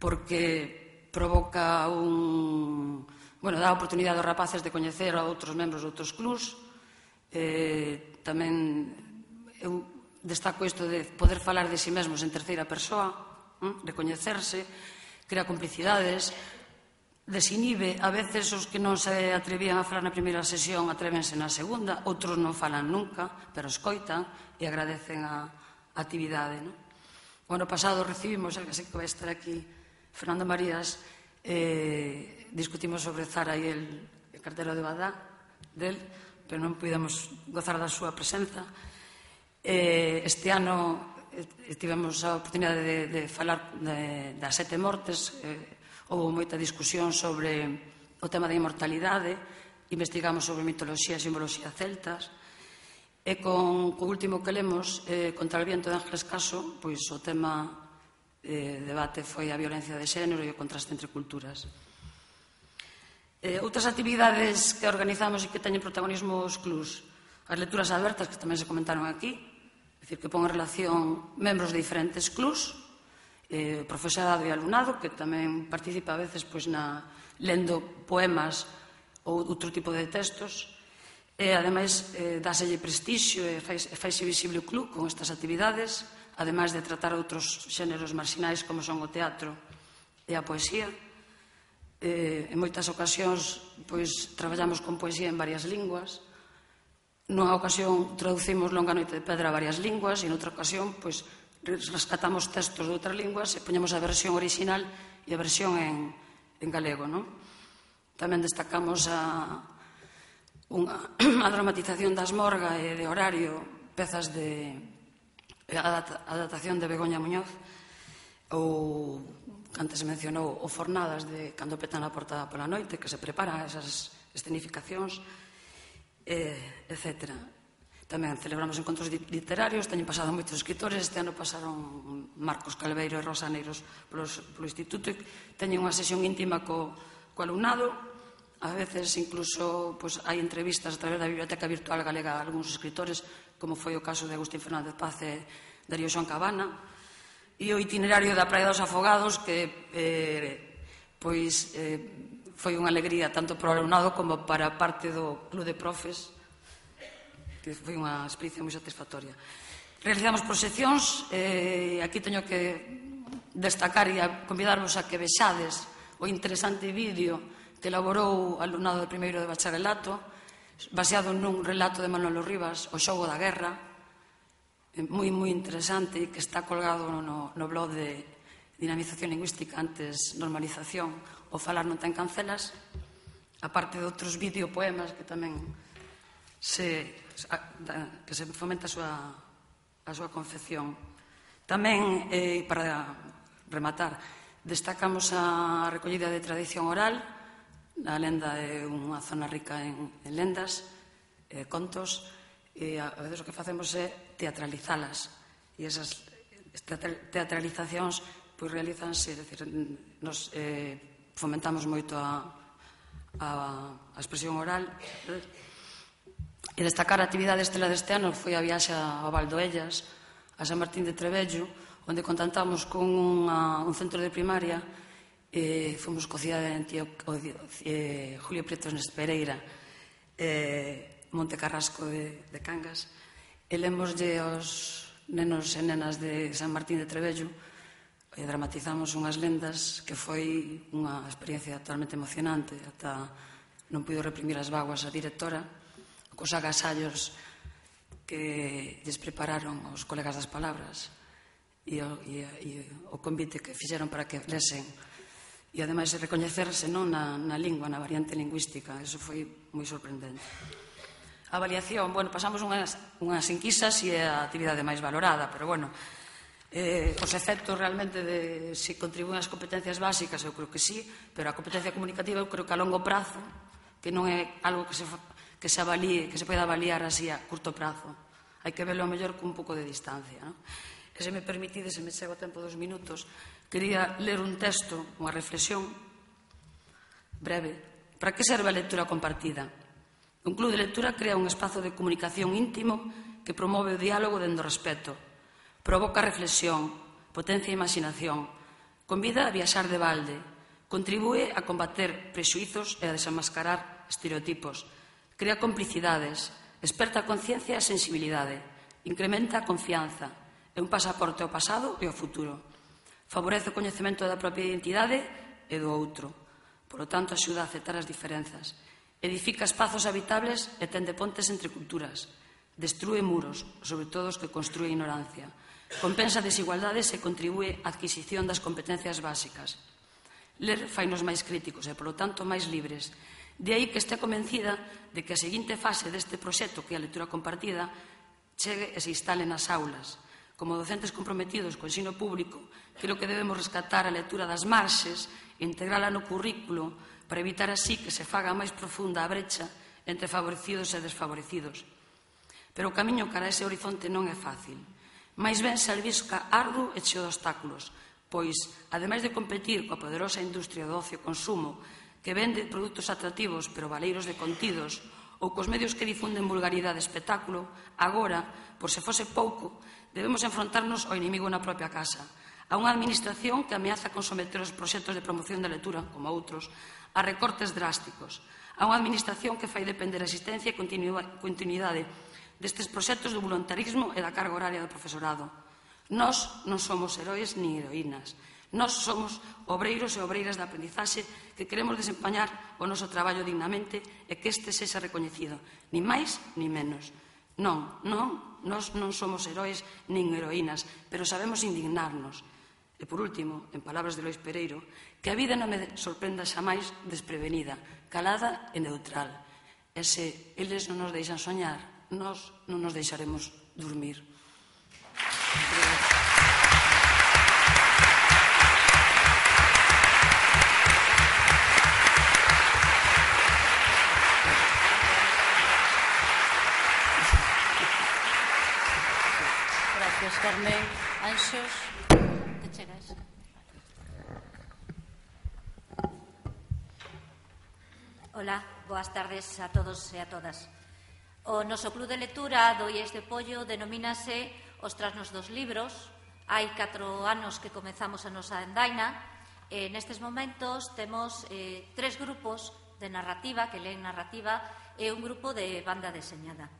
porque provoca un... Bueno, dá a oportunidade aos rapaces de coñecer a outros membros de outros clubs. Tamén eu destaco isto de poder falar de si mesmos en terceira persoa, recoñecerse, crea complicidades, desinhibe. A veces os que non se atrevían a falar na primeira sesión atrévense na segunda, outros non falan nunca, pero escoitan e agradecen a actividade. O ano pasado recibimos, que sei que vai estar aquí, Fernando Marías, discutimos sobre Zara e el cartero de Badá del, pero non pudemos gozar da súa presenza. Este ano tivemos a oportunidade de falar das sete mortes. Houve moita discusión sobre o tema da inmortalidade, investigamos sobre mitoloxía e simboloxía celtas, e con o último que lemos, Contra el viento de Ángeles Caso, pois o tema de debate foi a violencia de xénero e o contraste entre culturas. Outras actividades que organizamos e que teñen protagonismo os clubs, as lecturas abertas, que tamén se comentaron aquí, é dicir, que pon en relación membros de diferentes clubs, profesorado e alumnado, que tamén participa a veces lendo poemas ou outro tipo de textos, e ademais dáselle prestixio e faise visible o club con estas actividades, ademais de tratar outros xéneros marxinais como son o teatro e a poesía. En moitas ocasións traballamos con poesía en varias linguas. Nunha ocasión traducimos Longa noite de pedra a varias linguas e noutra ocasión rescatamos textos de outras linguas e poñemos a versión original e a versión en galego. Tamén destacamos a dramatización da Asmorga e de Horario, pezas de adaptación de Begoña Muñoz, ou, que antes se mencionou, o Fornadas de Cando petan a porta pola noite, que se preparan esas escenificacións, etcétera. Tamén celebramos encontros literarios, teñen pasado moitos escritores, este ano pasaron Marcos Calveiro e Rosa Neiros polo instituto, e teñen unha sesión íntima co alumnado. A veces incluso hai entrevistas a través da Biblioteca Virtual Galega a algúns escritores, como foi o caso de Agustín Fernández Paz e Darío Xoan Cabana, e o itinerario da Praia dos Afogados, que foi unha alegría tanto para o alumnado como para a parte do club de profes, que foi unha experiencia moi satisfactoria. Realizamos proxeccións, aquí teño que destacar e convidarvos a que vexades o interesante vídeo que elaborou o alumnado de primeiro de bacharelato, baseado nun relato de Manolo Rivas, O xogo da guerra, moi, moi interesante, e que está colgado no blog de Dinamización Lingüística, antes Normalización, o Falar non ten cancelas, aparte de outros videopoemas que tamén se fomenta a súa confección. Tamén, para rematar, destacamos a recollida de tradición oral. A lenda é unha zona rica en lendas, contos, e a veces o que facemos é teatralizalas, e esas teatralizacións realizanse, nos fomentamos moito a expresión oral. E destacar a actividade estela deste ano foi a viaxe a Valdoellas, a San Martín de Trebello, onde contactamos con un centro de primaria. Fomos co cidade de Julio Prieto Pereira, Monte Carrasco de Cangas, e lemoslle aos nenos e nenas de San Martín de Trebello, e dramatizamos unhas lendas que foi unha experiencia totalmente emocionante. Ata non puido reprimir as vaguas a directora, cos agasallos que lles prepararon os colegas das palabras e o convite que fixeron para que lesen, e ademais recoñecerse na lingua, na variante lingüística. Eso foi moi sorprendente. A avaliación, bueno, pasamos unhas enquisas e é a actividade máis valorada, pero bueno, os efectos realmente de se contribúen as competencias básicas, eu creo que sí, pero a competencia comunicativa eu creo que a longo prazo, que non é algo que se que se avalíe, que se poida avaliar así a curto prazo. Hai que verlo mellor con un pouco de distancia. E se me permitide, se me chego o tempo dos minutos, quería ler un texto, unha reflexión Breve. Para que serve a lectura compartida? Un club de lectura crea un espazo de comunicación íntimo que promove o diálogo dende o respeto, provoca reflexión, potencia a imaginación, convida a viaxar de balde, contribúe a combater prexuizos e a desenmascarar estereotipos, crea complicidades, esperta a conciencia e a sensibilidade, incrementa a confianza, é un pasaporte ao pasado e ao futuro, favorece o coñecemento da propia identidade e do outro, polo tanto, axuda a aceptar as diferenzas, edifica espazos habitables e tende pontes entre culturas, destrúe muros, sobre todo os que construe a ignorancia, compensa desigualdades e contribúe á adquisición das competencias básicas. Ler fainos máis críticos e, polo tanto, máis libres. De aí que estea convencida de que a seguinte fase deste proxecto, que é a lectura compartida, chegue e se instale nas aulas. Como docentes comprometidos co ensino público, creo que debemos rescatar a lectura das marxes e integrala no currículo para evitar así que se faga máis profunda a brecha entre favorecidos e desfavorecidos. Pero o camiño cara a ese horizonte non é fácil. Mais ben se albisca arduo e cheo de obstáculos, pois, ademais de competir coa poderosa industria do ocio e consumo que vende produtos atractivos pero valeiros de contidos, ou cos medios que difunden vulgaridade e espectáculo, agora, por se fose pouco, debemos enfrontarnos ao inimigo na propia casa, a unha administración que ameaza con someter os proxectos de promoción da lectura, como outros, a recortes drásticos, a unha administración que fai depender a existencia e continuidade destes proxectos do voluntarismo e da carga horaria do profesorado. Nós non somos heróis nin heroínas. Nós somos obreiros e obreiras da aprendizaxe que queremos desempeñar o noso traballo dignamente e que este sexa recoñecido, nin máis nin menos. Non, non, nós non somos heróis nin heroínas, pero sabemos indignarnos. E, por último, en palabras de Lois Pereiro, que a vida non me sorprenda xamais desprevenida, calada e neutral. E se eles non nos deixan soñar, nós non nos deixaremos dormir. Gracias, Carmen. Anxos, te chegas. Hola, boas tardes a todos e a todas. O noso club de lectura do I E S de Pollo denomínase Os Trasnos dos Libros. Hai catro anos que comezamos a nosa andaina e nestes momentos temos eh, tres grupos de narrativa, que leen narrativa, e un grupo de banda deseñada.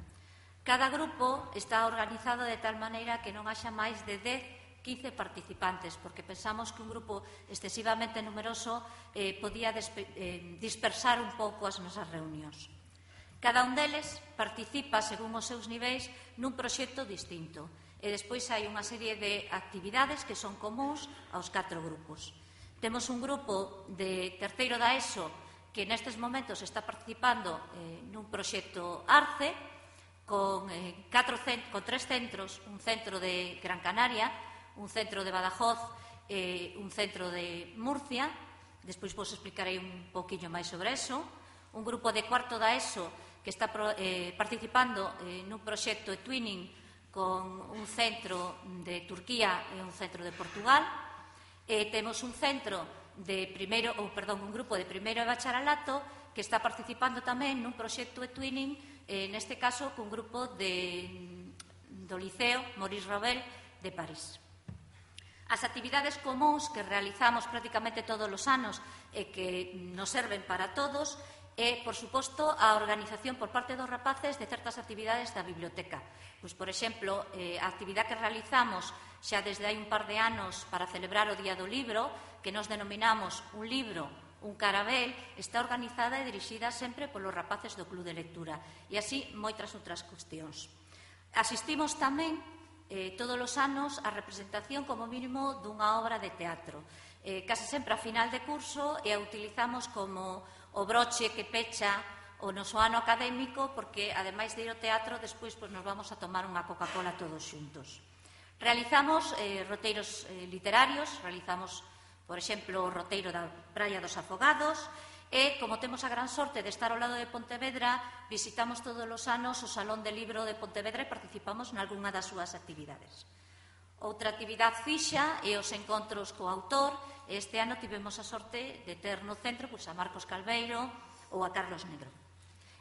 Cada grupo está organizado de tal maneira que non haxa máis de dez, quince participantes, porque pensamos que un grupo excesivamente numeroso eh, podía eh, dispersar un pouco as nosas reunións. Cada un deles participa, según os seus niveis, nun proxecto distinto. E despois hai unha serie de actividades que son comuns aos catro grupos. Temos un grupo de terceiro da ESO que nestes momentos está participando eh, nun proxecto ARCE con, eh, catro cent con tres centros, un centro de Gran Canaria, un centro de Badajoz e eh, un centro de Murcia. Despois vos explicarei un poquinho máis sobre eso. Un grupo de cuarto da ESO que está eh, participando eh, nun proxecto de twinning con un centro de Turquía e un centro de Portugal. E temos un centro de primeiro, ou perdón, un grupo de primeiro de bacharelato que está participando tamén nun proxecto de twinning, eh, neste caso cun grupo de, do Liceo Maurice Ravel de París. As actividades comuns que realizamos prácticamente todos os anos e que nos serven para todos e, por suposto, a organización por parte dos rapaces de certas actividades da biblioteca. Pois, por exemplo, eh, a actividade que realizamos xa desde hai un par de anos para celebrar o Día do Libro, que nos denominamos Un Libro, un Carabel, está organizada e dirixida sempre polos rapaces do Club de Lectura. E así moitas outras cuestións. Asistimos tamén eh, todos os anos a representación como mínimo dunha obra de teatro. Eh, case sempre a final de curso e a utilizamos como o broche que pecha o noso ano académico, porque, ademais de ir ao teatro, despois pues, nos vamos a tomar unha Coca-Cola todos xuntos. Realizamos eh, roteiros eh, literarios, realizamos, por exemplo, o roteiro da Praia dos Afogados, e, como temos a gran sorte de estar ao lado de Pontevedra, visitamos todos os anos o Salón de Libro de Pontevedra e participamos nalgúna das súas actividades. Outra actividade fixa é os encontros co autor. Este ano tivemos a sorte de ter no centro pois, a Marcos Calveiro ou a Carlos Negro.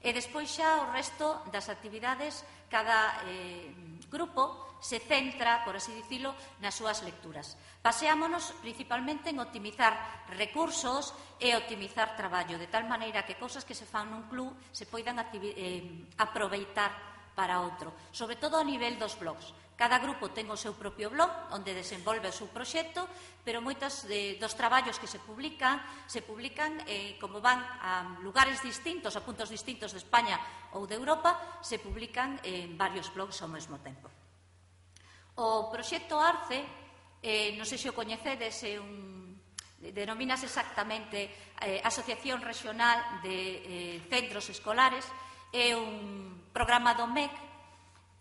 E despois xa o resto das actividades, cada eh, grupo se centra, por así dicilo, nas súas lecturas. Paseámonos principalmente en optimizar recursos e optimizar traballo, de tal maneira que cousas que se fan nun club se poidan eh, aproveitar para outro, sobre todo a nivel dos blogs. Cada grupo ten o seu propio blog onde desenvolve o seu proxecto, pero moitos de, dos traballos que se publican se publican, eh, como van a lugares distintos, a puntos distintos de España ou de Europa, se publican en varios blogs ao mesmo tempo. O proxecto ARCE, eh, non sei se o coñecedes, é un, denomínase exactamente eh, Asociación Regional de eh, Centros Escolares, é un programa do M E C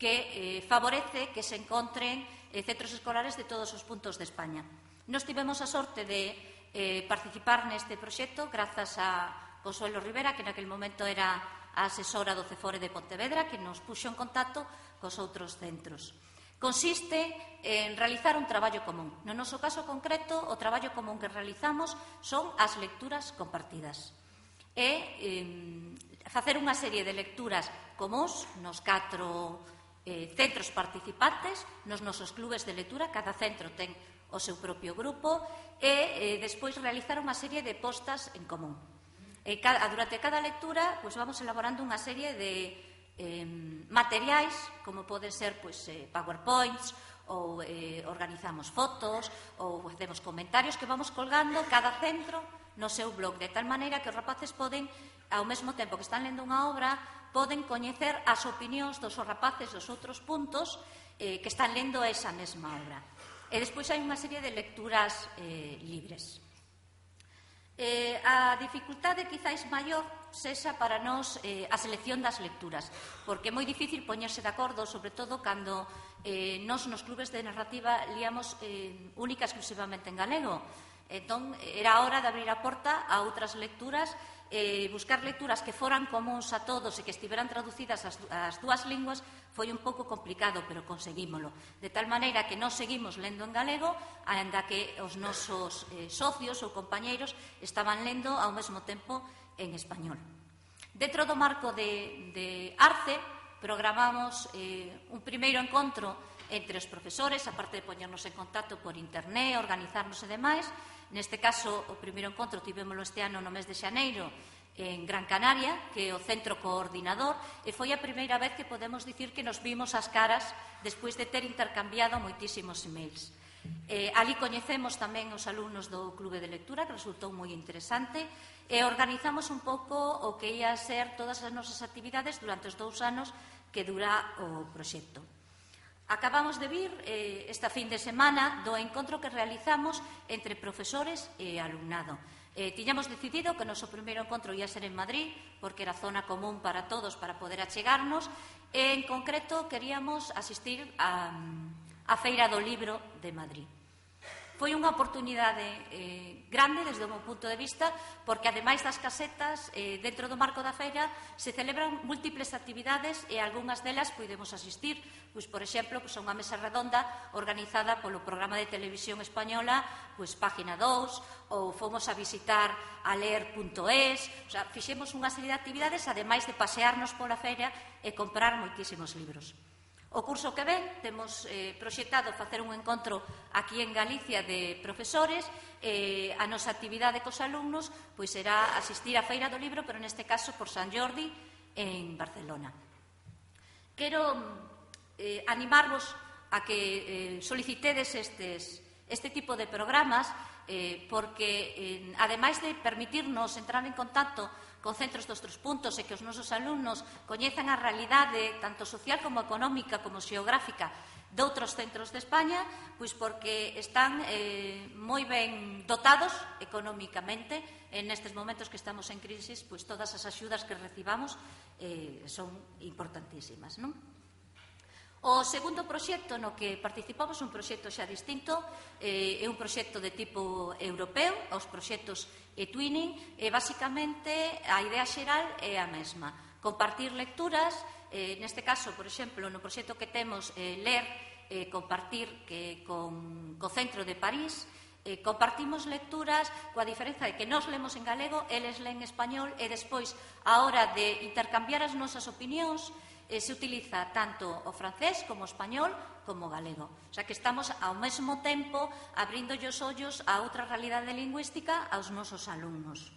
que eh, favorece que se encontren eh, centros escolares de todos os puntos de España. Nos tivemos a sorte de eh, participar neste proxecto grazas a Consuelo Rivera, que naquele momento era a asesora do CEFORE de Pontevedra, que nos puxo en contacto cos outros centros. Consiste en realizar un traballo común. No noso caso concreto, o traballo común que realizamos son as lecturas compartidas. E eh, facer unha serie de lecturas comúns nos catro Eh, centros participantes, nos nosos clubes de lectura, cada centro ten o seu propio grupo, e eh, despois realizar unha serie de postas en común. E cada, durante cada lectura pues, vamos elaborando unha serie de eh, materiais, como poden ser pues, eh, PowerPoints, ou eh, organizamos fotos, ou facemos comentarios que vamos colgando cada centro no seu blog, de tal maneira que os rapaces poden, ao mesmo tempo que están lendo unha obra, poden coñecer as opinións dos rapaces dos outros puntos eh, que están lendo esa mesma obra. E despois hai unha serie de lecturas eh, libres. Eh, a dificultade quizáis maior sexa para nós eh, a selección das lecturas, porque é moi difícil poñerse de acordo, sobre todo cando eh, nós nos clubes de narrativa líamos eh, única e exclusivamente en galego. Entón, era a hora de abrir a porta a outras lecturas, eh, buscar lecturas que foran comuns a todos e que estiveran traducidas as, as dúas linguas foi un pouco complicado, pero conseguímolo. De tal maneira que nós seguimos lendo en galego, aínda que os nosos eh, socios ou compañeiros estaban lendo ao mesmo tempo en español. Dentro do marco de, de ARCE, programamos eh, un primeiro encontro entre os profesores, aparte de poñernos en contacto por internet, organizarnos e demais. Neste caso, o primeiro encontro tivémolo este ano no mes de xaneiro en Gran Canaria, que é o centro coordinador, e foi a primeira vez que podemos dicir que nos vimos as caras despois de ter intercambiado moitísimos emails. Eh, ali coñecemos tamén os alumnos do Clube de Lectura, que resultou moi interesante, e organizamos un pouco o que ia ser todas as nosas actividades durante os dous anos que dura o proxecto. Acabamos de vir eh, esta fin de semana do encontro que realizamos entre profesores e alumnado. Eh, tiñamos decidido que o noso primeiro encontro ia ser en Madrid, porque era zona común para todos para poder achegarnos, e en concreto queríamos asistir a, a Feira do Libro de Madrid. Foi unha oportunidade eh, grande desde o meu punto de vista, porque ademais das casetas, eh, dentro do marco da feira se celebran múltiples actividades e algunhas delas podemos asistir. Pois, por exemplo, pois, a unha mesa redonda organizada polo programa de televisión española, pois, Página dous, ou fomos a visitar a ler punto es, o sea, fixemos unha serie de actividades, ademais de pasearnos pola feira e comprar moitísimos libros. O curso que ven temos eh, proxectado facer un encontro aquí en Galicia de profesores. Eh, a nosa actividade cos alumnos pois será asistir á Feira do Libro, pero neste caso por San Jordi en Barcelona. Quero eh, animarvos a que eh, solicitedes estes, este tipo de programas eh, porque, eh, ademais de permitirnos entrar en contacto con centros dos outros puntos e que os nosos alumnos coñezan a realidade tanto social como económica como xeográfica de outros centros de España, pois porque están eh, moi ben dotados económicamente. En estes momentos que estamos en crisis, pois todas as axudas que recibamos eh, son importantísimas, non? O segundo proxecto no que participamos é un proxecto xa distinto, eh, é un proxecto de tipo europeo, os proxectos e-twinning, e basicamente a idea xeral é a mesma. Compartir lecturas, eh, neste caso, por exemplo, no proxecto que temos eh, Ler eh, compartir que con o Centro de París eh, compartimos lecturas coa diferenza de que nós lemos en galego, eles leen en español e despois, a hora de intercambiar as nosas opinións, eh, se utiliza tanto o francés como o español como o galego. O sea que estamos ao mesmo tempo abrindo os ollos a outra realidade lingüística aos nosos alumnos.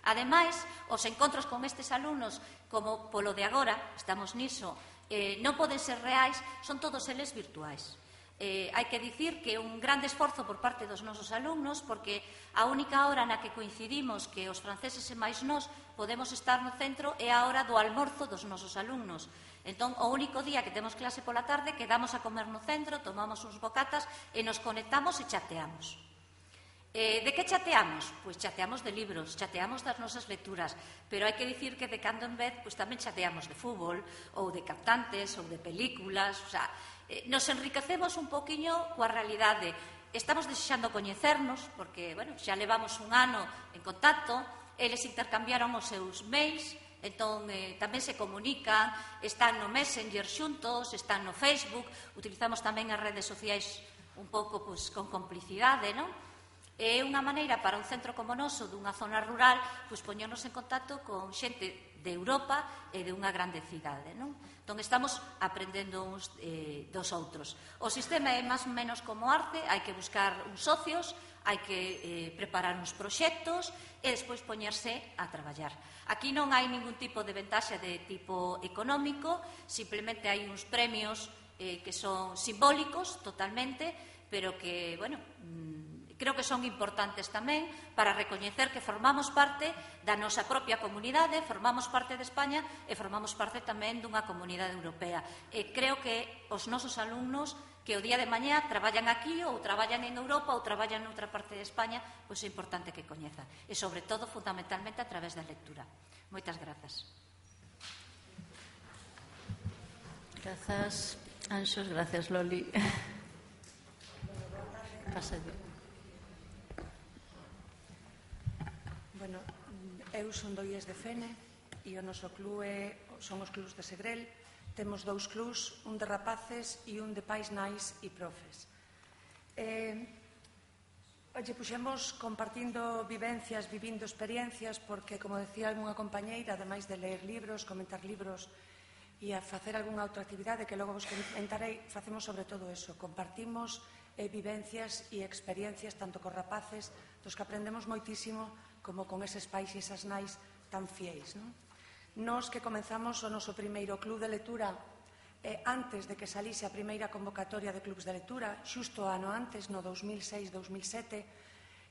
Ademais, os encontros con estes alumnos, como polo de agora, estamos niso, eh, non poden ser reais, son todos eles virtuais. Eh, hai que dicir que un grande esforzo por parte dos nosos alumnos, porque a única hora na que coincidimos que os franceses e máis nós podemos estar no centro é a hora do almorzo dos nosos alumnos. Entón, o único día que temos clase pola tarde, quedamos a comer no centro, tomamos uns bocatas e nos conectamos e chateamos. Eh, de que chateamos? Pois chateamos de libros, chateamos das nosas lecturas, pero hai que dicir que de cando en vez pois tamén chateamos de fútbol, ou de cantantes, ou de películas, o sea, eh, nos enriquecemos un poquinho coa realidade. Estamos desexando coñecernos, porque, bueno, xa levamos un ano en contacto, eles intercambiaron os seus mails, entón eh, tamén se comunican, están no Messenger xuntos, están no Facebook, utilizamos tamén as redes sociais un pouco pois, con complicidade, non? É unha maneira para un centro como noso, dunha zona rural, pois poñernos en contacto con xente de Europa e de unha grande cidade, non? Entón estamos aprendendo uns eh, dos outros. O sistema é máis ou menos como arte, hai que buscar uns socios, hai que eh, preparar uns proxectos e despois poñerse a traballar. Aquí non hai ningún tipo de ventaxa de tipo económico, simplemente hai uns premios eh, que son simbólicos totalmente, pero que, bueno, creo que son importantes tamén para recoñecer que formamos parte da nosa propia comunidade, formamos parte de España e formamos parte tamén dunha comunidade europea. E creo que os nosos alumnos que o día de mañá traballan aquí ou traballan en Europa ou traballan noutra parte de España, pois é importante que coñezan. E, sobre todo, fundamentalmente, a través da lectura. Moitas grazas. Grazas, Anxos. Grazas, Loli. Pásate. Bueno, eu son do I E S de Fene e o noso club é, son os clubs de Segrel. Temos dous clubs, un de rapaces e un de pais, nais e profes. Eh, oye, puxemos compartindo vivencias, vivindo experiencias, porque, como decía unha compañeira, ademais de ler libros, comentar libros e a facer algunha outra actividade que logo vos comentarei, facemos sobre todo eso, compartimos eh, vivencias e experiencias tanto cos rapaces, dos que aprendemos moitísimo, como con eses pais e esas nais tan fieis. Non? Nos que comenzamos o noso primeiro club de lectura eh, antes de que salise a primeira convocatoria de clubs de lectura, xusto ano antes, no dos mil seis dos mil sete,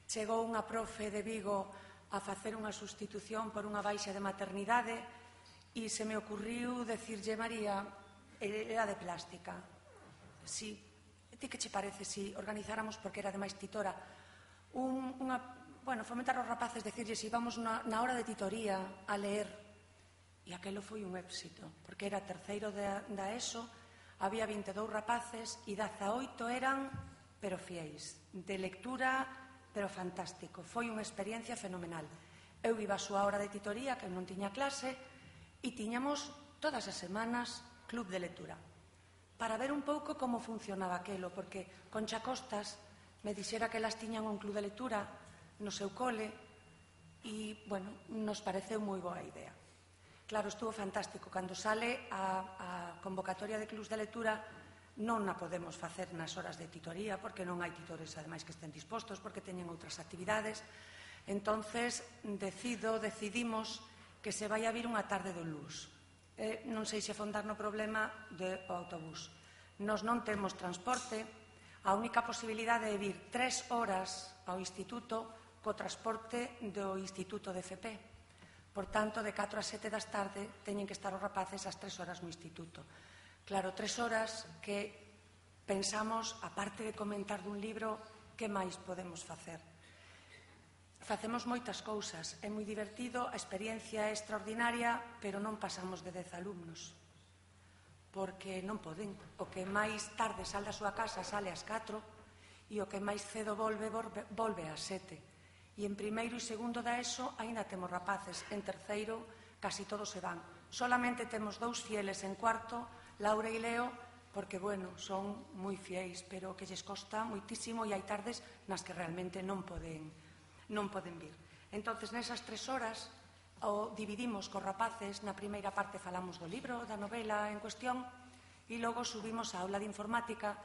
chegou unha profe de Vigo a facer unha sustitución por unha baixa de maternidade e se me ocurriu decirlle, María, era de plástica. Si, ti que che parece si organizáramos, porque era ademais titora, un, unha, bueno, fomentar aos rapaces, decirlle si vamos na, na hora de titoría a ler, e aquelo foi un éxito, porque era terceiro da, da ESO, había vinte e dous rapaces e dezaoito eran, pero fieis, de lectura, pero fantástico. Foi unha experiencia fenomenal. Eu iba a súa hora de titoría, que non tiña clase, e tiñamos todas as semanas club de lectura, para ver un pouco como funcionaba aquelo, porque Concha Costas me dixera que elas tiñan un club de lectura no seu cole e, bueno, nos pareceu moi boa idea. Claro, estuvo fantástico. Cando sale a, a convocatoria de clubs de lectura non a podemos facer nas horas de titoría, porque non hai titores, ademais, que estén dispostos, porque teñen outras actividades. Entonces, decido, decidimos que se vai a vir unha tarde do luz. Eh, non sei se afondar no problema do autobús. Nos non temos transporte, a única posibilidade é vir tres horas ao instituto co transporte do Instituto de F P. Por tanto, de catro a sete das tarde teñen que estar os rapaces ás tres horas no instituto. Claro, tres horas que pensamos, aparte de comentar dun libro, que máis podemos facer? Facemos moitas cousas, é moi divertido, a experiencia é extraordinaria, pero non pasamos de dez alumnos, porque non poden. O que máis tarde sale da súa casa sale ás catro e o que máis cedo volve, volve, volve ás sete. E en primeiro e segundo da ESO aínda temos rapaces, en terceiro casi todos se van. Solamente temos dous fieles en cuarto, Laura e Leo, porque, bueno, son moi fieis, pero que lles costa moitísimo e hai tardes nas que realmente non poden, non poden vir. Entonces, nesas tres horas, o dividimos cos rapaces, na primeira parte falamos do libro, da novela en cuestión, e logo subimos a aula de informática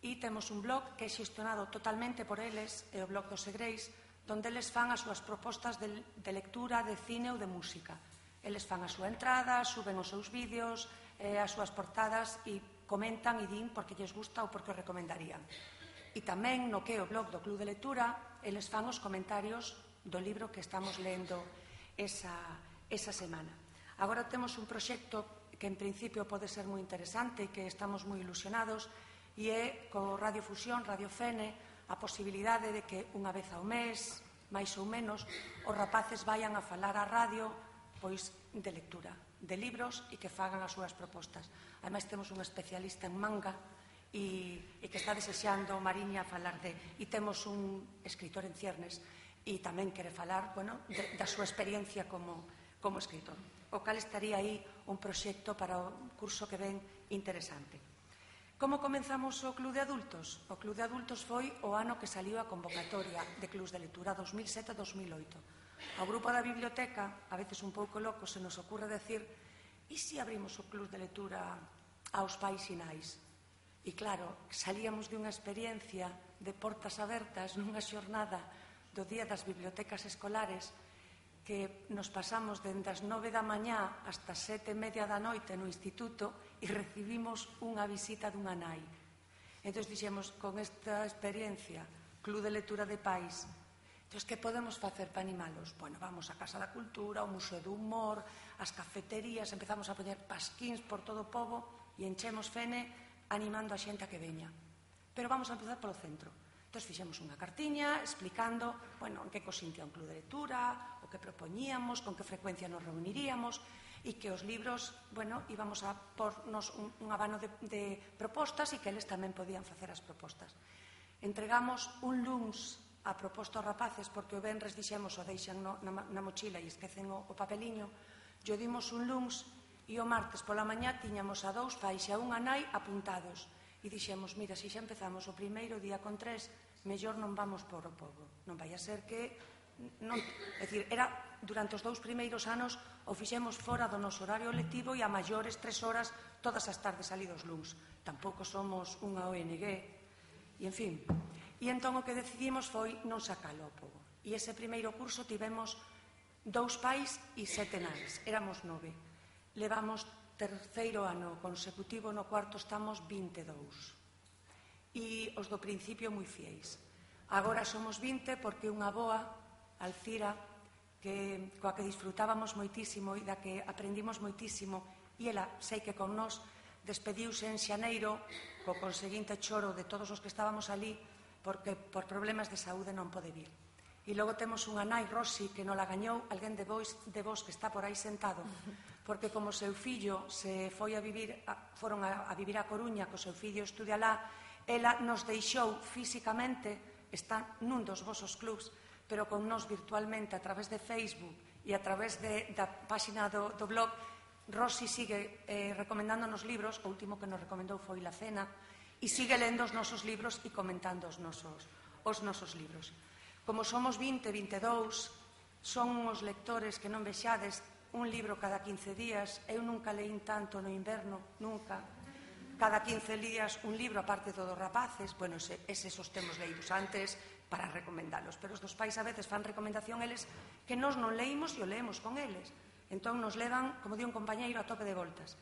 e temos un blog que é xestionado totalmente por eles, é o blog dos Segreis, donde eles fan as súas propostas de, de lectura, de cine ou de música. Eles fan a súa entrada, suben os seus vídeos, eh, as súas portadas e comentan e din porque lles gusta ou porque o recomendarían. E tamén no que é o blog do Club de Lectura, eles fan os comentarios do libro que estamos lendo esa, esa semana. Agora temos un proxecto que en principio pode ser moi interesante e que estamos moi ilusionados, e é co Radio Fusión, Radio Fene, a posibilidade de que unha vez ao mes, máis ou menos, os rapaces vayan a falar á radio pois de lectura, de libros e que fagan as súas propostas. Ademais, temos un especialista en manga e, e que está desexando Mariña falar de... E temos un escritor en ciernes e tamén quere falar, bueno, de, da súa experiencia como, como escritor. O cal estaría aí un proxecto para o curso que ven interesante. Como comenzamos o Club de Adultos? O Club de Adultos foi o ano que saliu a convocatoria de Clubs de Lectura dos mil sete a dos mil oito. Ao grupo da biblioteca, a veces un pouco loco, se nos ocurre decir e se abrimos o Club de Lectura aos pais e nais? E claro, salíamos de unha experiencia de portas abertas nunha xornada do Día das Bibliotecas Escolares que nos pasamos dende as nove da mañá hasta sete e media da noite no instituto e recibimos unha visita dunha nai. Entón dixemos, con esta experiencia, Club de Lectura de Pais, entón, que podemos facer para animalos? Bueno, vamos á Casa da Cultura, ao Museo do Humor, ás cafeterías, empezamos a poñer pasquíns por todo o pobo e enchemos Fene animando a xente a que veña. Pero vamos a empezar polo centro. Entón, fixemos unha cartiña explicando, bueno, en que consistía un club de lectura, o que propoñíamos, con que frecuencia nos reuniríamos, e que os libros, bueno, íbamos a pornos un, un abano de, de propostas e que eles tamén podían facer as propostas. Entregamos un luns a proposta aos rapaces, porque o venres dixemos o deixan no, na, na mochila e esquecen o, o papeliño, yo dimos un luns e o martes pola mañá tiñamos a dous pais e a unha nai apuntados. E dixemos, mira, se xa empezamos o primeiro día con tres, mellor non vamos por o pobo. Non vai a ser que... Non, é dicir, era durante os dous primeiros anos o fixemos fora do noso horario lectivo e a maiores tres horas todas as tardes salidos luns. Tampouco somos unha O N G. E, en fin, e entón o que decidimos foi non sacalo ao pobo. E ese primeiro curso tivemos dous pais e sete nais. Éramos nove. Levamos terceiro ano consecutivo, no cuarto estamos vinte e dous. E os do principio moi fieis. Agora somos vinte porque unha boa, Alcira, que, coa que disfrutábamos moitísimo e da que aprendimos moitísimo, e ela, sei que con nós, despediuse en xaneiro co conseguinte choro de todos os que estábamos ali porque por problemas de saúde non pode vir. E logo temos unha nai, Rosy, que non la gañou alguén de vos, de vos que está por aí sentado, porque como seu fillo se foi a vivir, a, foron a, a vivir a Coruña, co seu fillo estudia lá, ela nos deixou físicamente, está nun dos vosos clubs, pero con nós virtualmente a través de Facebook e a través de, da páxina do, do blog. Rosy sigue eh, recomendándonos libros, o último que nos recomendou foi La Cena, e sigue lendo os nosos libros e comentando os nosos, os nosos libros. Como somos vinte, vinte e dous, son uns lectores que non vexades un libro cada quince días. Eu nunca leín tanto no inverno, nunca. Cada quince días un libro, aparte todos os rapaces. Bueno, eses os temos leídos antes para recomendalos, pero os dos pais a veces fan recomendación eles que nós non leímos e o leemos con eles. Entón nos levan, como di un compañeiro, a tope de voltas.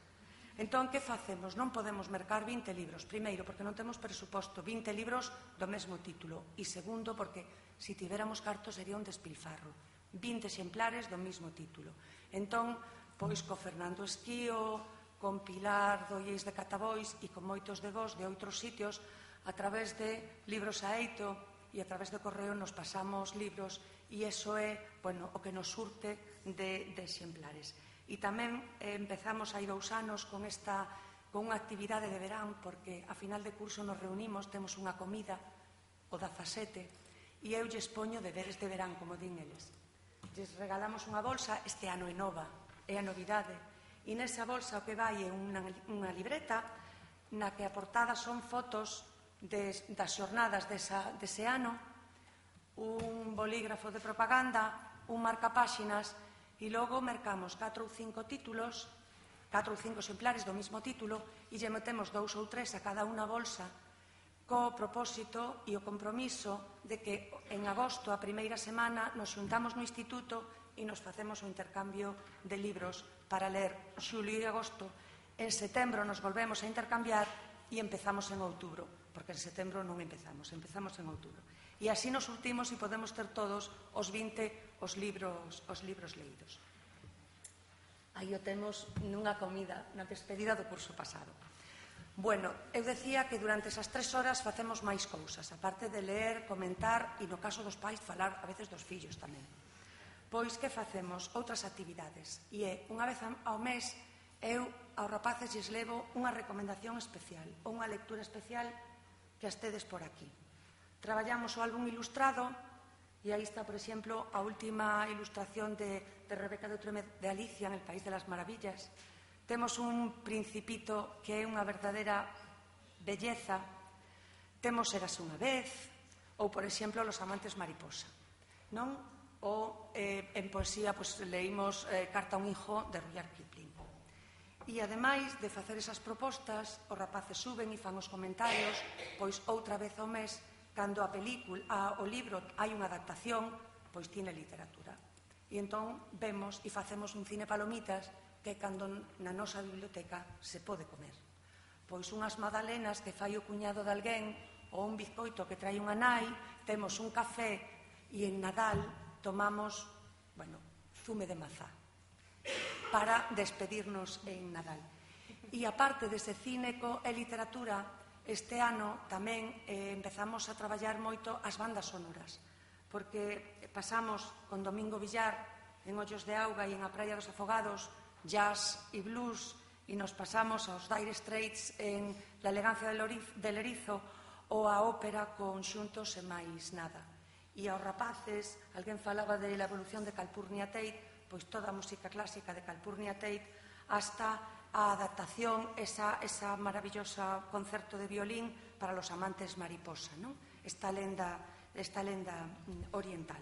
Entón, que facemos? Non podemos mercar vinte libros. Primeiro, porque non temos presuposto, vinte libros do mesmo título. E segundo, porque se tiveramos cartos sería un despilfarro. vinte exemplares do mesmo título. Entón, pois, co Fernando Esquío, con Pilar Dollés de Catabois e con moitos de vos de outros sitios, a través de Libros a Eito e a través do correo nos pasamos libros e iso é, bueno, o que nos surte de, de exemplares. E tamén eh, empezamos hai dous anos con esta con unha actividade de verán, porque a final de curso nos reunimos, temos unha comida o dezasete e eu lles poño deberes de verán, como din eles. Lles regalamos unha bolsa, este ano é nova, é a novidade, e nesa bolsa o que vai é unha, unha libreta na que a portada son fotos das xornadas dese ano, un bolígrafo de propaganda, un marcapáxinas, e logo mercamos catro ou cinco títulos, catro ou cinco exemplares do mesmo título, e lle metemos dous ou tres a cada unha bolsa, co propósito e o compromiso de que en agosto, a primeira semana, nos xuntamos no instituto e nos facemos o intercambio de libros para ler xulio e agosto. En setembro nos volvemos a intercambiar e empezamos en outubro, porque en setembro non empezamos, empezamos en outubro. E así nos surtimos e podemos ter todos os vinte os libros, os libros leídos. Aí o temos nunha comida, na despedida do curso pasado. Bueno, eu decía que durante esas tres horas facemos máis cousas, aparte de ler, comentar e, no caso dos pais, falar a veces dos fillos tamén. Pois que facemos? Outras actividades. E é, unha vez ao mes, eu aos rapaces lles levo unha recomendación especial, ou unha lectura especial que as tedes por aquí. Traballamos o álbum ilustrado, e aí está, por exemplo, a última ilustración de, de Rebeca de Treme de Alicia en el País de las Maravillas. Temos un Principito que é unha verdadeira belleza. Temos Érase unha vez, ou, por exemplo, Los amantes mariposa. Non? Ou eh, en poesía pues, leímos eh, Carta a un hijo de Rudyard Kipling. E, ademais de facer esas propostas, os rapaces suben e fan os comentarios, pois outra vez ao mes, cando a película, a, o libro hai unha adaptación, pois tiene literatura. E entón vemos e facemos un cine palomitas que cando na nosa biblioteca se pode comer. Pois unhas magdalenas que fai o cuñado de alguén ou un bizcoito que trai unha nai, temos un café e en Nadal tomamos, bueno, zume de mazá para despedirnos en Nadal. E aparte dese cine e literatura, este ano tamén eh, empezamos a traballar moito as bandas sonoras, porque pasamos con Domingo Villar en Ollos de Auga e en A Praia dos Afogados jazz e blues, e nos pasamos aos Dire Straits en La elegancia del erizo ou a ópera con xuntos e máis nada. E aos rapaces, alguén falaba de La evolución de Calpurnia Tate, pois toda a música clásica de Calpurnia Tate hasta a adaptación, esa, esa maravillosa concerto de violín para Los amantes mariposa, non? Esta lenda, esta lenda oriental.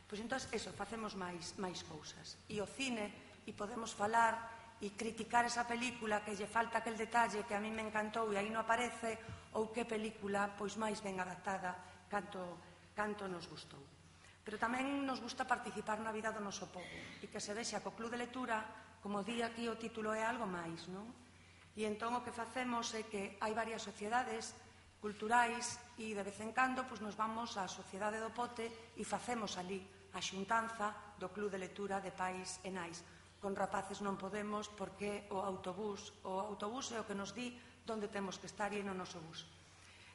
Pois entón, eso, facemos máis, máis cousas. E o cine, e podemos falar e criticar esa película que lle falta aquel detalle que a mí me encantou e aí non aparece, ou que película pois máis ben adaptada canto, canto nos gustou. Pero tamén nos gusta participar na vida do noso pobo e que se vexa co Club de Lectura, como di aquí o título, é algo máis, non? E entón o que facemos é que hai varias sociedades culturais e de vez en cando pois, nos vamos á Sociedade do Pote e facemos ali a xuntanza do Club de Lectura de pais e nais. Con rapaces non podemos porque o autobús, o autobús é o que nos di onde temos que estar e no noso bus.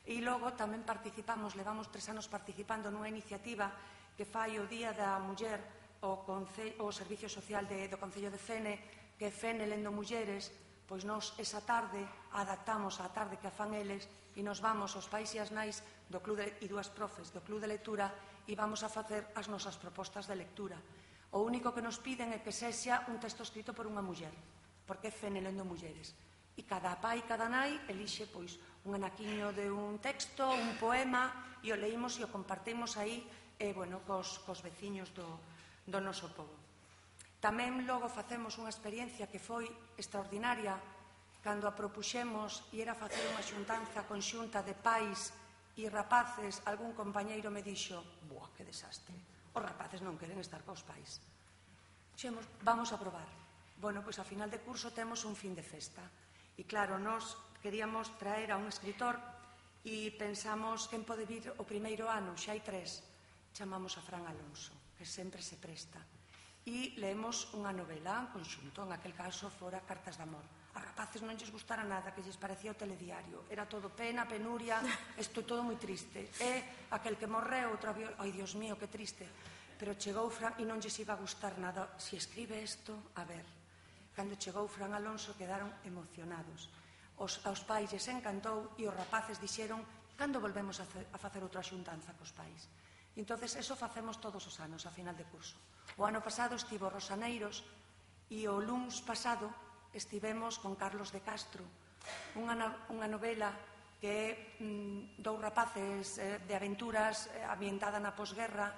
E logo tamén participamos, levamos tres anos participando nunha iniciativa que fai o Día da Muller o, Conce o Servicio Social de, do Concello de Fene, que é Fene Lendo Mulleres, pois nós esa tarde adaptamos a tarde que a fan eles e nos vamos aos pais e as nais do Club de, e dúas profes do Club de Lectura e vamos a facer as nosas propostas de lectura. O único que nos piden é que sexa un texto escrito por unha muller, porque é Fene Lendo Mulleres. E cada pai e cada nai elixe pois, un anaquiño de un texto, un poema, e o leímos e o compartimos aí eh, bueno, cos, cos veciños do, do noso pobo. Tamén logo facemos unha experiencia que foi extraordinaria cando a propuxemos e era facer unha xuntanza conxunta de pais e rapaces. Algún compañeiro me dixo: "Buah, que desastre, os rapaces non queren estar cos pais." Dixemos, vamos a probar. Bueno, pois a final de curso temos un fin de festa. E claro, nós queríamos traer a un escritor e pensamos quen pode vir o primeiro ano, xa hai tres. Chamamos a Fran Alonso, que sempre se presta. E leemos unha novela en conxunto, en aquel caso fora Cartas de amor. A rapaces non lles gustara nada, que lles parecía o telediario. Era todo pena, penuria, isto todo moi triste. E aquel que morreu, outra vez, ai, Dios mío, que triste. Pero chegou Fran e non lles iba a gustar nada. Si escribe isto, a ver. Cando chegou Fran Alonso quedaron emocionados. Os, aos pais lles encantou e os rapaces dixeron: "Cando volvemos a, a facer outra xuntanza cos pais?" E entonces eso facemos todos os anos a final de curso. O ano pasado estivo Rosaneiros e o luns pasado estivemos con Carlos de Castro, unha novela que é dous rapaces de aventuras ambientada na posguerra,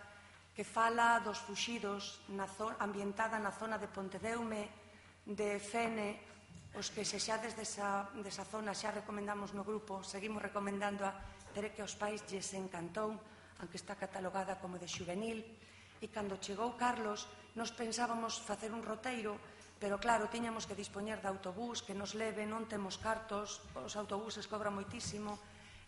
que fala dos fuxidos ambientada na zona de Pontedeume, de Fene. Os que se xa desde esa zona xa recomendamos no grupo, seguimos recomendando a pero que aos pais lles encantou, aunque está catalogada como de xuvenil. E cando chegou Carlos, nos pensábamos facer un roteiro, pero claro, tiñamos que dispoñer de autobús que nos leve, non temos cartos, os autobuses cobran moitísimo.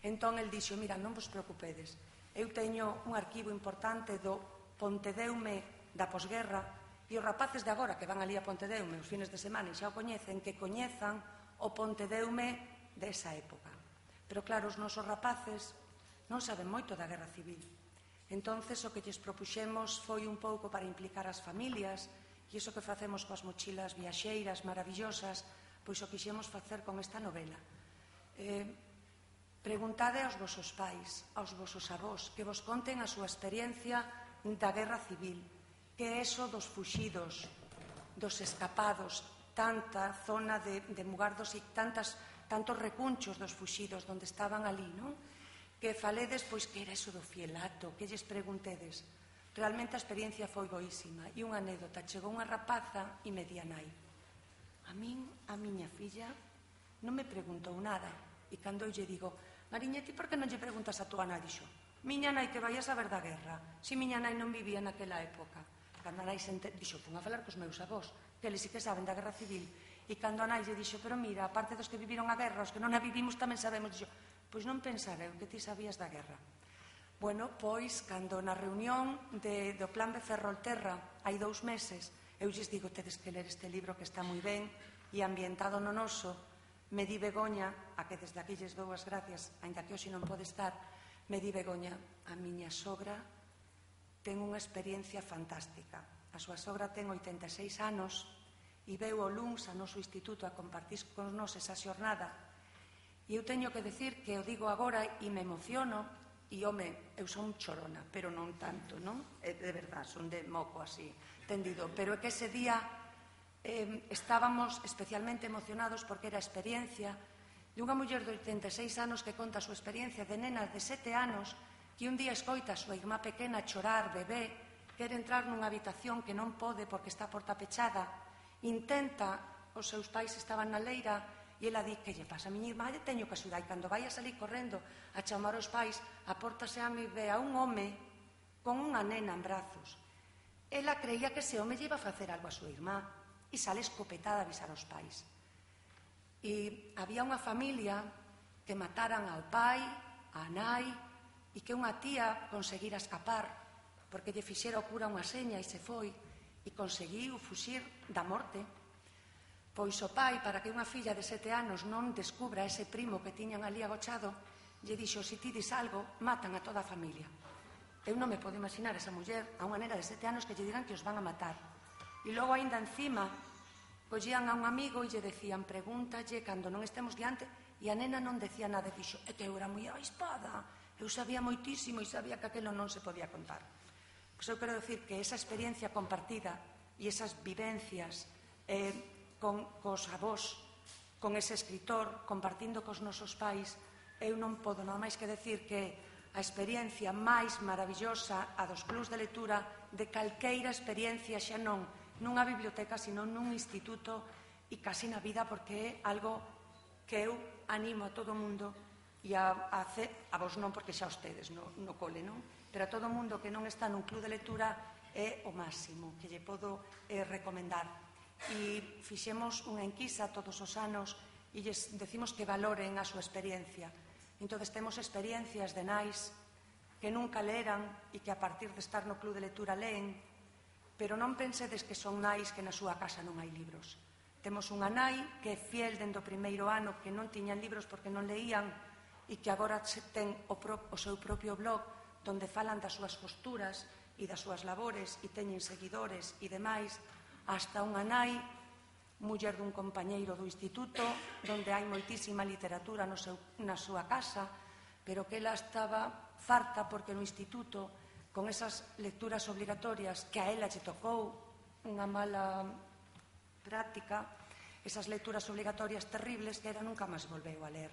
Entón, el dixo, mira, non vos preocupedes, eu teño un arquivo importante do Pontedeume da posguerra, e os rapaces de agora que van ali a Pontedeume os fines de semana e xa o coñecen, que coñezan o Pontedeume desa época. Pero claro, os nosos rapaces non saben moito da Guerra Civil. Entonces, o que lles propuxemos foi un pouco para implicar as familias, e iso que facemos coas mochilas viaxeiras maravillosas, pois o quixemos facer con esta novela. Preguntade aos vosos pais, aos vosos avós, que vos conten a súa experiencia da Guerra Civil, que é eso dos fuxidos, dos escapados, tanta zona de Mugardos e tantas tantos recunchos dos fuxidos onde estaban ali, non? Que faledes, pois, que era eso do fielato, que lles preguntedes. Realmente a experiencia foi boísima. E unha anécdota, chegou unha rapaza e me di a nai. A min, a miña filla, non me preguntou nada. E cando eu lle digo, Mariña, ti por que non lle preguntas a tua nai? Dixo, miña nai que vai a saber da guerra, se miña nai non vivía naquela época. Cando a nai se ente... dixo, pon a falar cos meus avós, que eles sí que saben da Guerra Civil. E cando a nai lle dixo, pero mira, aparte dos que viviron a guerra, os que non a vivimos tamén sabemos, dixo, pois non pensara eu que ti sabías da guerra. Bueno, pois, cando na reunión do Plan B Ferrolterra hai dous meses, eu lles digo, tedes que ler este libro que está moi ben e ambientado no noso, me di Begoña, a que desde aquí lles dou as gracias, aínda que hoxe non pode estar, me di Begoña, a miña sogra ten unha experiencia fantástica. A súa sogra ten oitenta e seis anos e veu o luns ao noso instituto a compartir con nos esa xornada. E eu teño que decir que o digo agora e me emociono e, home, eu son chorona, pero non tanto, non? De verdad, son de moco así, tendido. Pero é que ese día estábamos especialmente emocionados porque era a experiencia de unha muller de oitenta e seis anos que conta a súa experiencia de nena de sete anos que un día escoita a súa irmá pequena chorar, bebé, quere entrar nunha habitación que non pode porque está a porta pechada, intenta, os seus pais estaban na leira e ela di, que lle pasa a miña irmá, lle teño que axudar, e cando vai a salir correndo a chamar os pais, a porta se ame e ve a un home con unha nena en brazos. Ela creía que ese home lle iba a facer algo a súa irmá e sale escopetada a avisar aos pais. E había unha familia que mataran ao pai, á nai, e que unha tía conseguira escapar porque lle fixera o cura unha seña e se foi e conseguiu fuxir da morte. Pois o pai, para que unha filla de sete anos non descubra ese primo que tiñan ali agochado, lle dixo, se ti dis algo, matan a toda a familia. Eu non me podo imaginar esa muller a unha nena de sete anos que lle dirán que os van a matar. E logo, aínda encima, collían a un amigo e lle decían, pregúntalle cando non estemos diante, e a nena non decía nada, e dixo, é que eu era moi avispada, eu sabía moitísimo e sabía que aquilo non se podía contar. Pois eu quero dicir que esa experiencia compartida e esas vivencias con cos avós, con ese escritor, compartindo cos nosos pais, eu non podo nada máis que decir que a experiencia máis maravillosa a dos clubs de lectura de calqueira experiencia xa non nunha biblioteca, sino nun instituto e casi na vida, porque é algo que eu animo a todo o mundo e a, a, a vos non, porque xa ustedes no, no cole, non? Pero a todo o mundo que non está nun club de lectura é o máximo que lle podo eh, recomendar. E fixemos unha enquisa todos os anos e lles decimos que valoren a súa experiencia. Entón, temos experiencias de nais que nunca leran e que a partir de estar no club de lectura leen, pero non pensedes que son nais que na súa casa non hai libros. Temos unha nai que é fiel dende o primeiro ano, que non tiñan libros porque non leían e que agora ten o, pro, o seu propio blog donde falan das súas costuras e das súas labores e teñen seguidores e demais, hasta unha nai, muller dun compañeiro do instituto, donde hai moitísima literatura no seu, na súa casa, pero que ela estaba farta porque no instituto, con esas lecturas obligatorias que a ela lle tocou unha mala práctica, esas lecturas obligatorias terribles que era nunca máis volveu a ler.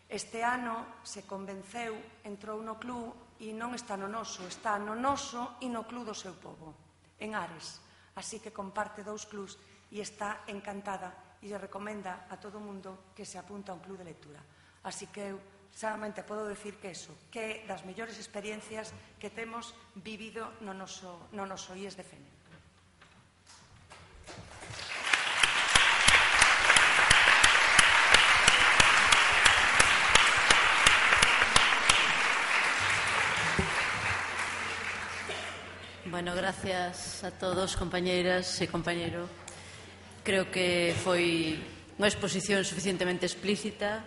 Este ano se convenceu, entrou no club e non está no noso, está no noso e no club do seu povo, en Ares. Así que comparte dous clubs e está encantada e lle recomenda a todo o mundo que se apunta a un club de lectura. Así que eu solamente podo decir que eso, que é das mellores experiencias que temos vivido no noso, no noso I E S de Fene. Bueno, gracias a todos, compañeiras e compañeiro. Creo que foi unha exposición suficientemente explícita.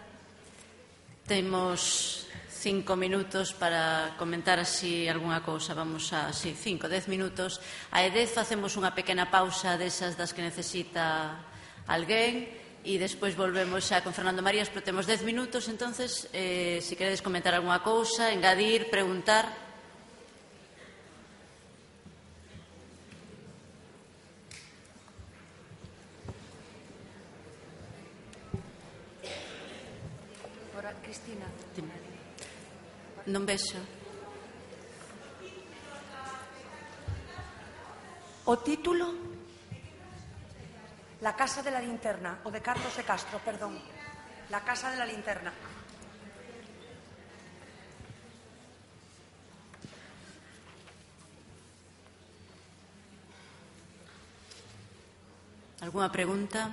Temos cinco minutos para comentar así algunha cousa. Vamos a, así, cinco, dez minutos. A E dez facemos unha pequena pausa desas das que necesita alguén e despois volvemos xa con Fernando Marías, pero temos dez minutos, entonces, eh, se queredes comentar algunha cousa, engadir, preguntar. Cristina. Non vexo. O título? La casa de la linterna, o de Carlos de Castro, perdón. La casa de la linterna. Alguna pregunta?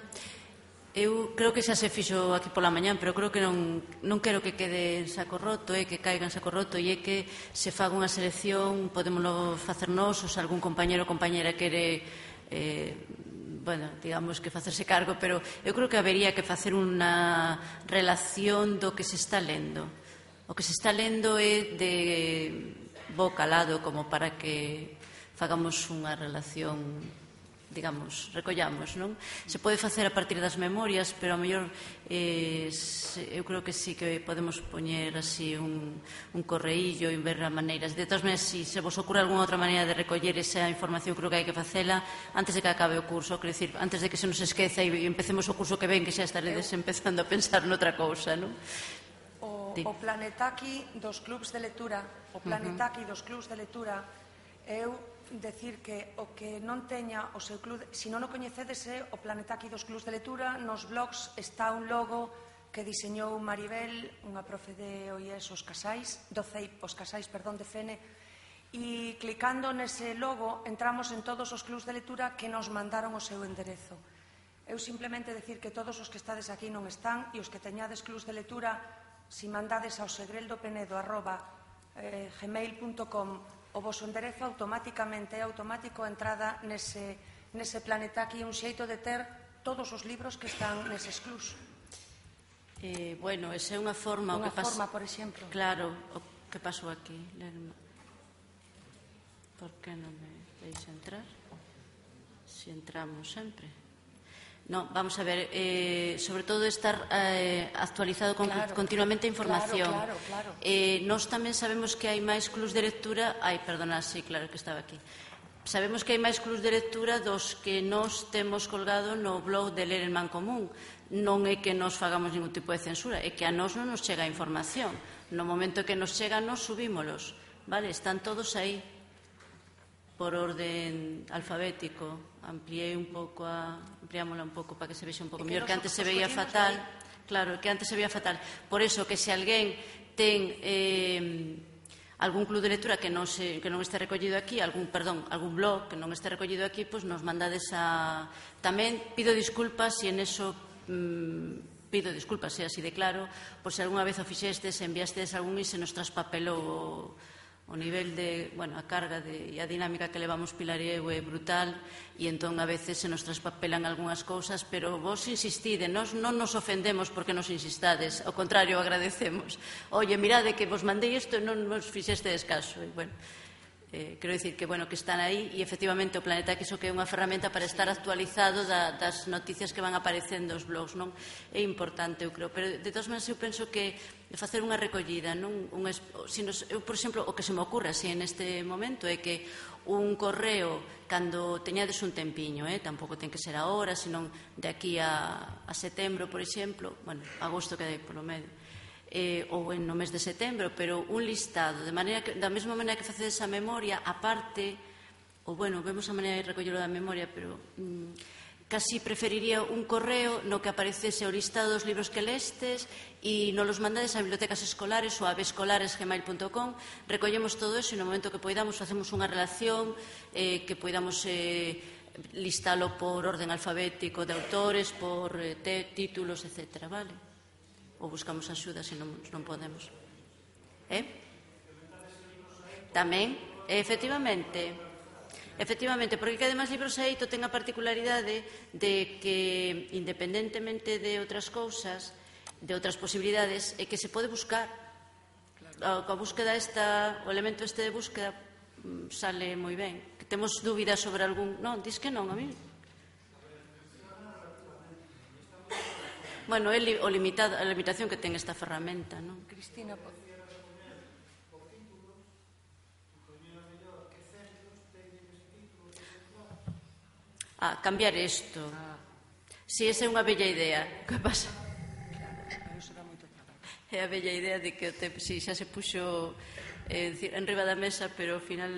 Eu creo que xa se fixo aquí pola mañán, pero creo que non, non quero que quede en saco roto, eh, que caiga en saco roto, e é que se faga unha selección, podémoslo facer nós, ou se algún compañero ou compañera quere, eh, bueno, digamos que facerse cargo, pero eu creo que habería que facer unha relación do que se está lendo. O que se está lendo é de bo calado, como para que fagamos unha relación, digamos, recollamos, non? Se pode facer a partir das memorias, pero a mellor eh, eu creo que sí que podemos poñer así un, un correillo e ver as maneiras. De todas maneiras, se si se vos ocurre alguna outra maneira de recoller esa información, creo que hai que facela antes de que acabe o curso, quero dicir, antes de que se nos esqueza e empecemos o curso que ven, que xa estaredes empezando a pensar noutra cousa, non? O, o planetaki dos clubs de lectura, o planetaki dos clubs de lectura, eu decir que o que non teña o seu club, se non o coñecedes, é o planetaki dos clubs de lectura. Nos blogs está un logo que diseñou Maribel, unha profe de O I E S os Casais, do C E I P, os Casais, perdón, de Fene, e clicando nese logo entramos en todos os clubs de lectura que nos mandaron o seu enderezo. Eu simplemente decir que todos os que estades aquí non están, e os que teñades clubs de lectura, si mandades ao segreldopenedo arroba gmail punto com o vosso enderezo, automáticamente é automático a entrada nese, nese planetaki, un xeito de ter todos os libros que están neses clubs. Eh, bueno, esa é unha forma... Unha o que pas... forma, por exemplo. Claro, o que pasou aquí. Por que non me deixa entrar? Si entramos sempre. No, vamos a ver, eh, sobre todo estar eh, actualizado con, claro, continuamente a información. Claro, claro, claro. Eh, nós tamén sabemos que hai máis clubs de lectura... Ai, perdona, sí, claro que estaba aquí. Sabemos que hai máis clubs de lectura dos que nós temos colgado no blog de Ler en Mancomún. Non é que nos fagamos ningún tipo de censura, é que a nós non nos chega a información. No momento que nos chega, nos subímolos. Vale, están todos aí por orden alfabético. Ampliei un pouco a, ampliámola un pouco para que se vexa un pouco mellor, que antes se veía fatal. Claro, que antes se veía fatal. Por eso, que se alguén ten eh, algún club de lectura que non, se, que non este recollido aquí, algún, perdón, algún blog que non este recollido aquí, pois nos mandades a... Tamén pido disculpas se en eso... Mmm, pido disculpas, se así de claro, por se algunha vez o fixestes, enviastes algún e se nos traspapelou o... o nivel de, bueno, a carga de, e a dinámica que levamos Pilar e eu é brutal, e entón a veces se nos traspapelan algunhas cousas, pero vos insistide, nos non nos ofendemos porque nos insistades, ao contrario, agradecemos. Oye, mirade que vos mandei isto e non nos fixestes caso. E, bueno, Eh, quero dicir que, bueno, que están aí e efectivamente o Planeta X o que é unha ferramenta para estar actualizado da, das noticias que van aparecendo os blogs, non? É importante, eu creo, pero de todas maneras eu penso que facer unha recollida, non? Un, si nos, eu, por exemplo, o que se me ocurre así en este momento é que un correo, cando teñades un tempiño, eh? tampouco ten que ser agora, senón de aquí a, a setembro, por exemplo, bueno, agosto que hai polo medio, Eh, ou en no mes de setembro, pero un listado, de maneira que, da mesma maneira que facedes a memoria, aparte, ou bueno, vemos a maneira de recollelo da memoria, pero mm, casi preferiría un correo no que aparecese o listado dos libros que lestes e nos los mandades a bibliotecas escolares ou a bescolares gmail punto com, recollemos todo eso e no momento que poidamos facemos unha relación eh, que poidamos eh, listalo por orden alfabético de autores, por eh, te, títulos, etcétera, vale? Ou buscamos axuda se non, non podemos. Eh? Tamén, efectivamente, efectivamente, porque que además Libros Aito ten a particularidade de que, independentemente de outras cousas, de outras posibilidades, é que se pode buscar. A, a búsqueda esta, o elemento este de búsqueda sale moi ben. Que temos dúbidas sobre algún... Non, dis que non, a mí... Bueno, é o limitado, a limitación que ten esta ferramenta, non? Cristina, Ah, cambiar isto. Si, esa é unha bella idea. Que pasa? É a bella idea de que te, si, xa se puxo eh, en riba da mesa, pero ao final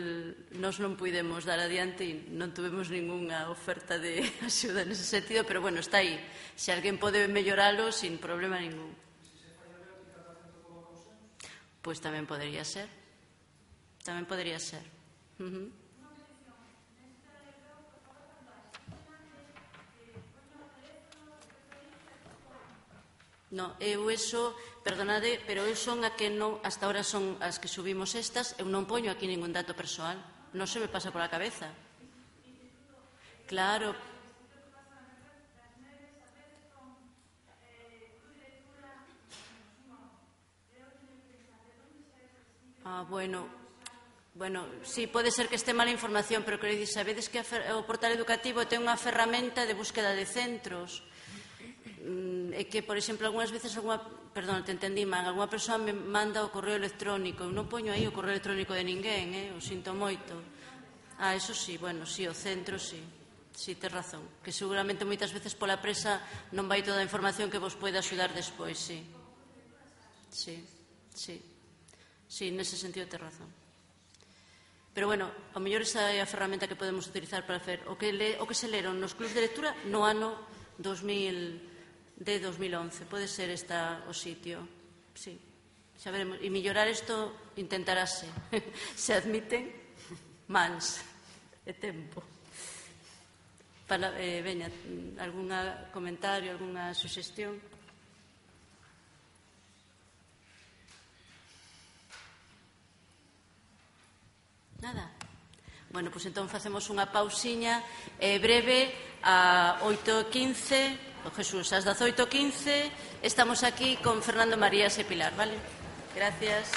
nós non puidemos dar adiante e non tuvemos ningunha oferta de axuda nese sentido, pero bueno, está aí. Se alguén pode melloralo sin problema ningún. Pois tamén podería ser. Tamén podería ser. Uh-huh. No, eu eso, perdonade, pero eu son a que non, hasta ahora son as que subimos estas, eu non poño aquí ningún dato persoal, non se me pasa pola cabeza. Claro. Ah, bueno, bueno, sí, pode ser que este mala información, pero quero dicir, sabedes que o portal educativo ten unha ferramenta de búsqueda de centros, é que, por exemplo, algunhas veces alguna, perdón, te entendí mal, algunha persoa me manda o correo electrónico, eu non poño aí o correo electrónico de ninguén, eh? O sinto moito. Ah, eso sí, bueno, sí, o centro sí, sí, tes razón, que seguramente moitas veces pola presa non vai toda a información que vos pode axudar despois, sí. Sí, sí, sí, nese sentido tes razón. Pero, bueno, ao mellor esa é a ferramenta que podemos utilizar para fer o que, le, o que se leron nos clubs de lectura no ano dos mil de dos mil once, pode ser esta o sitio, sí, xa veremos, e mellorar isto intentarase, se admiten mans e tempo. Para, eh, veña, algún comentario, algunha suxestión? Nada. Bueno, pois entón facemos unha pausiña eh, breve a oito e quince. O Jesús, ás dezoito e quince estamos aquí con Fernando Marías e Pilar, vale? Gracias.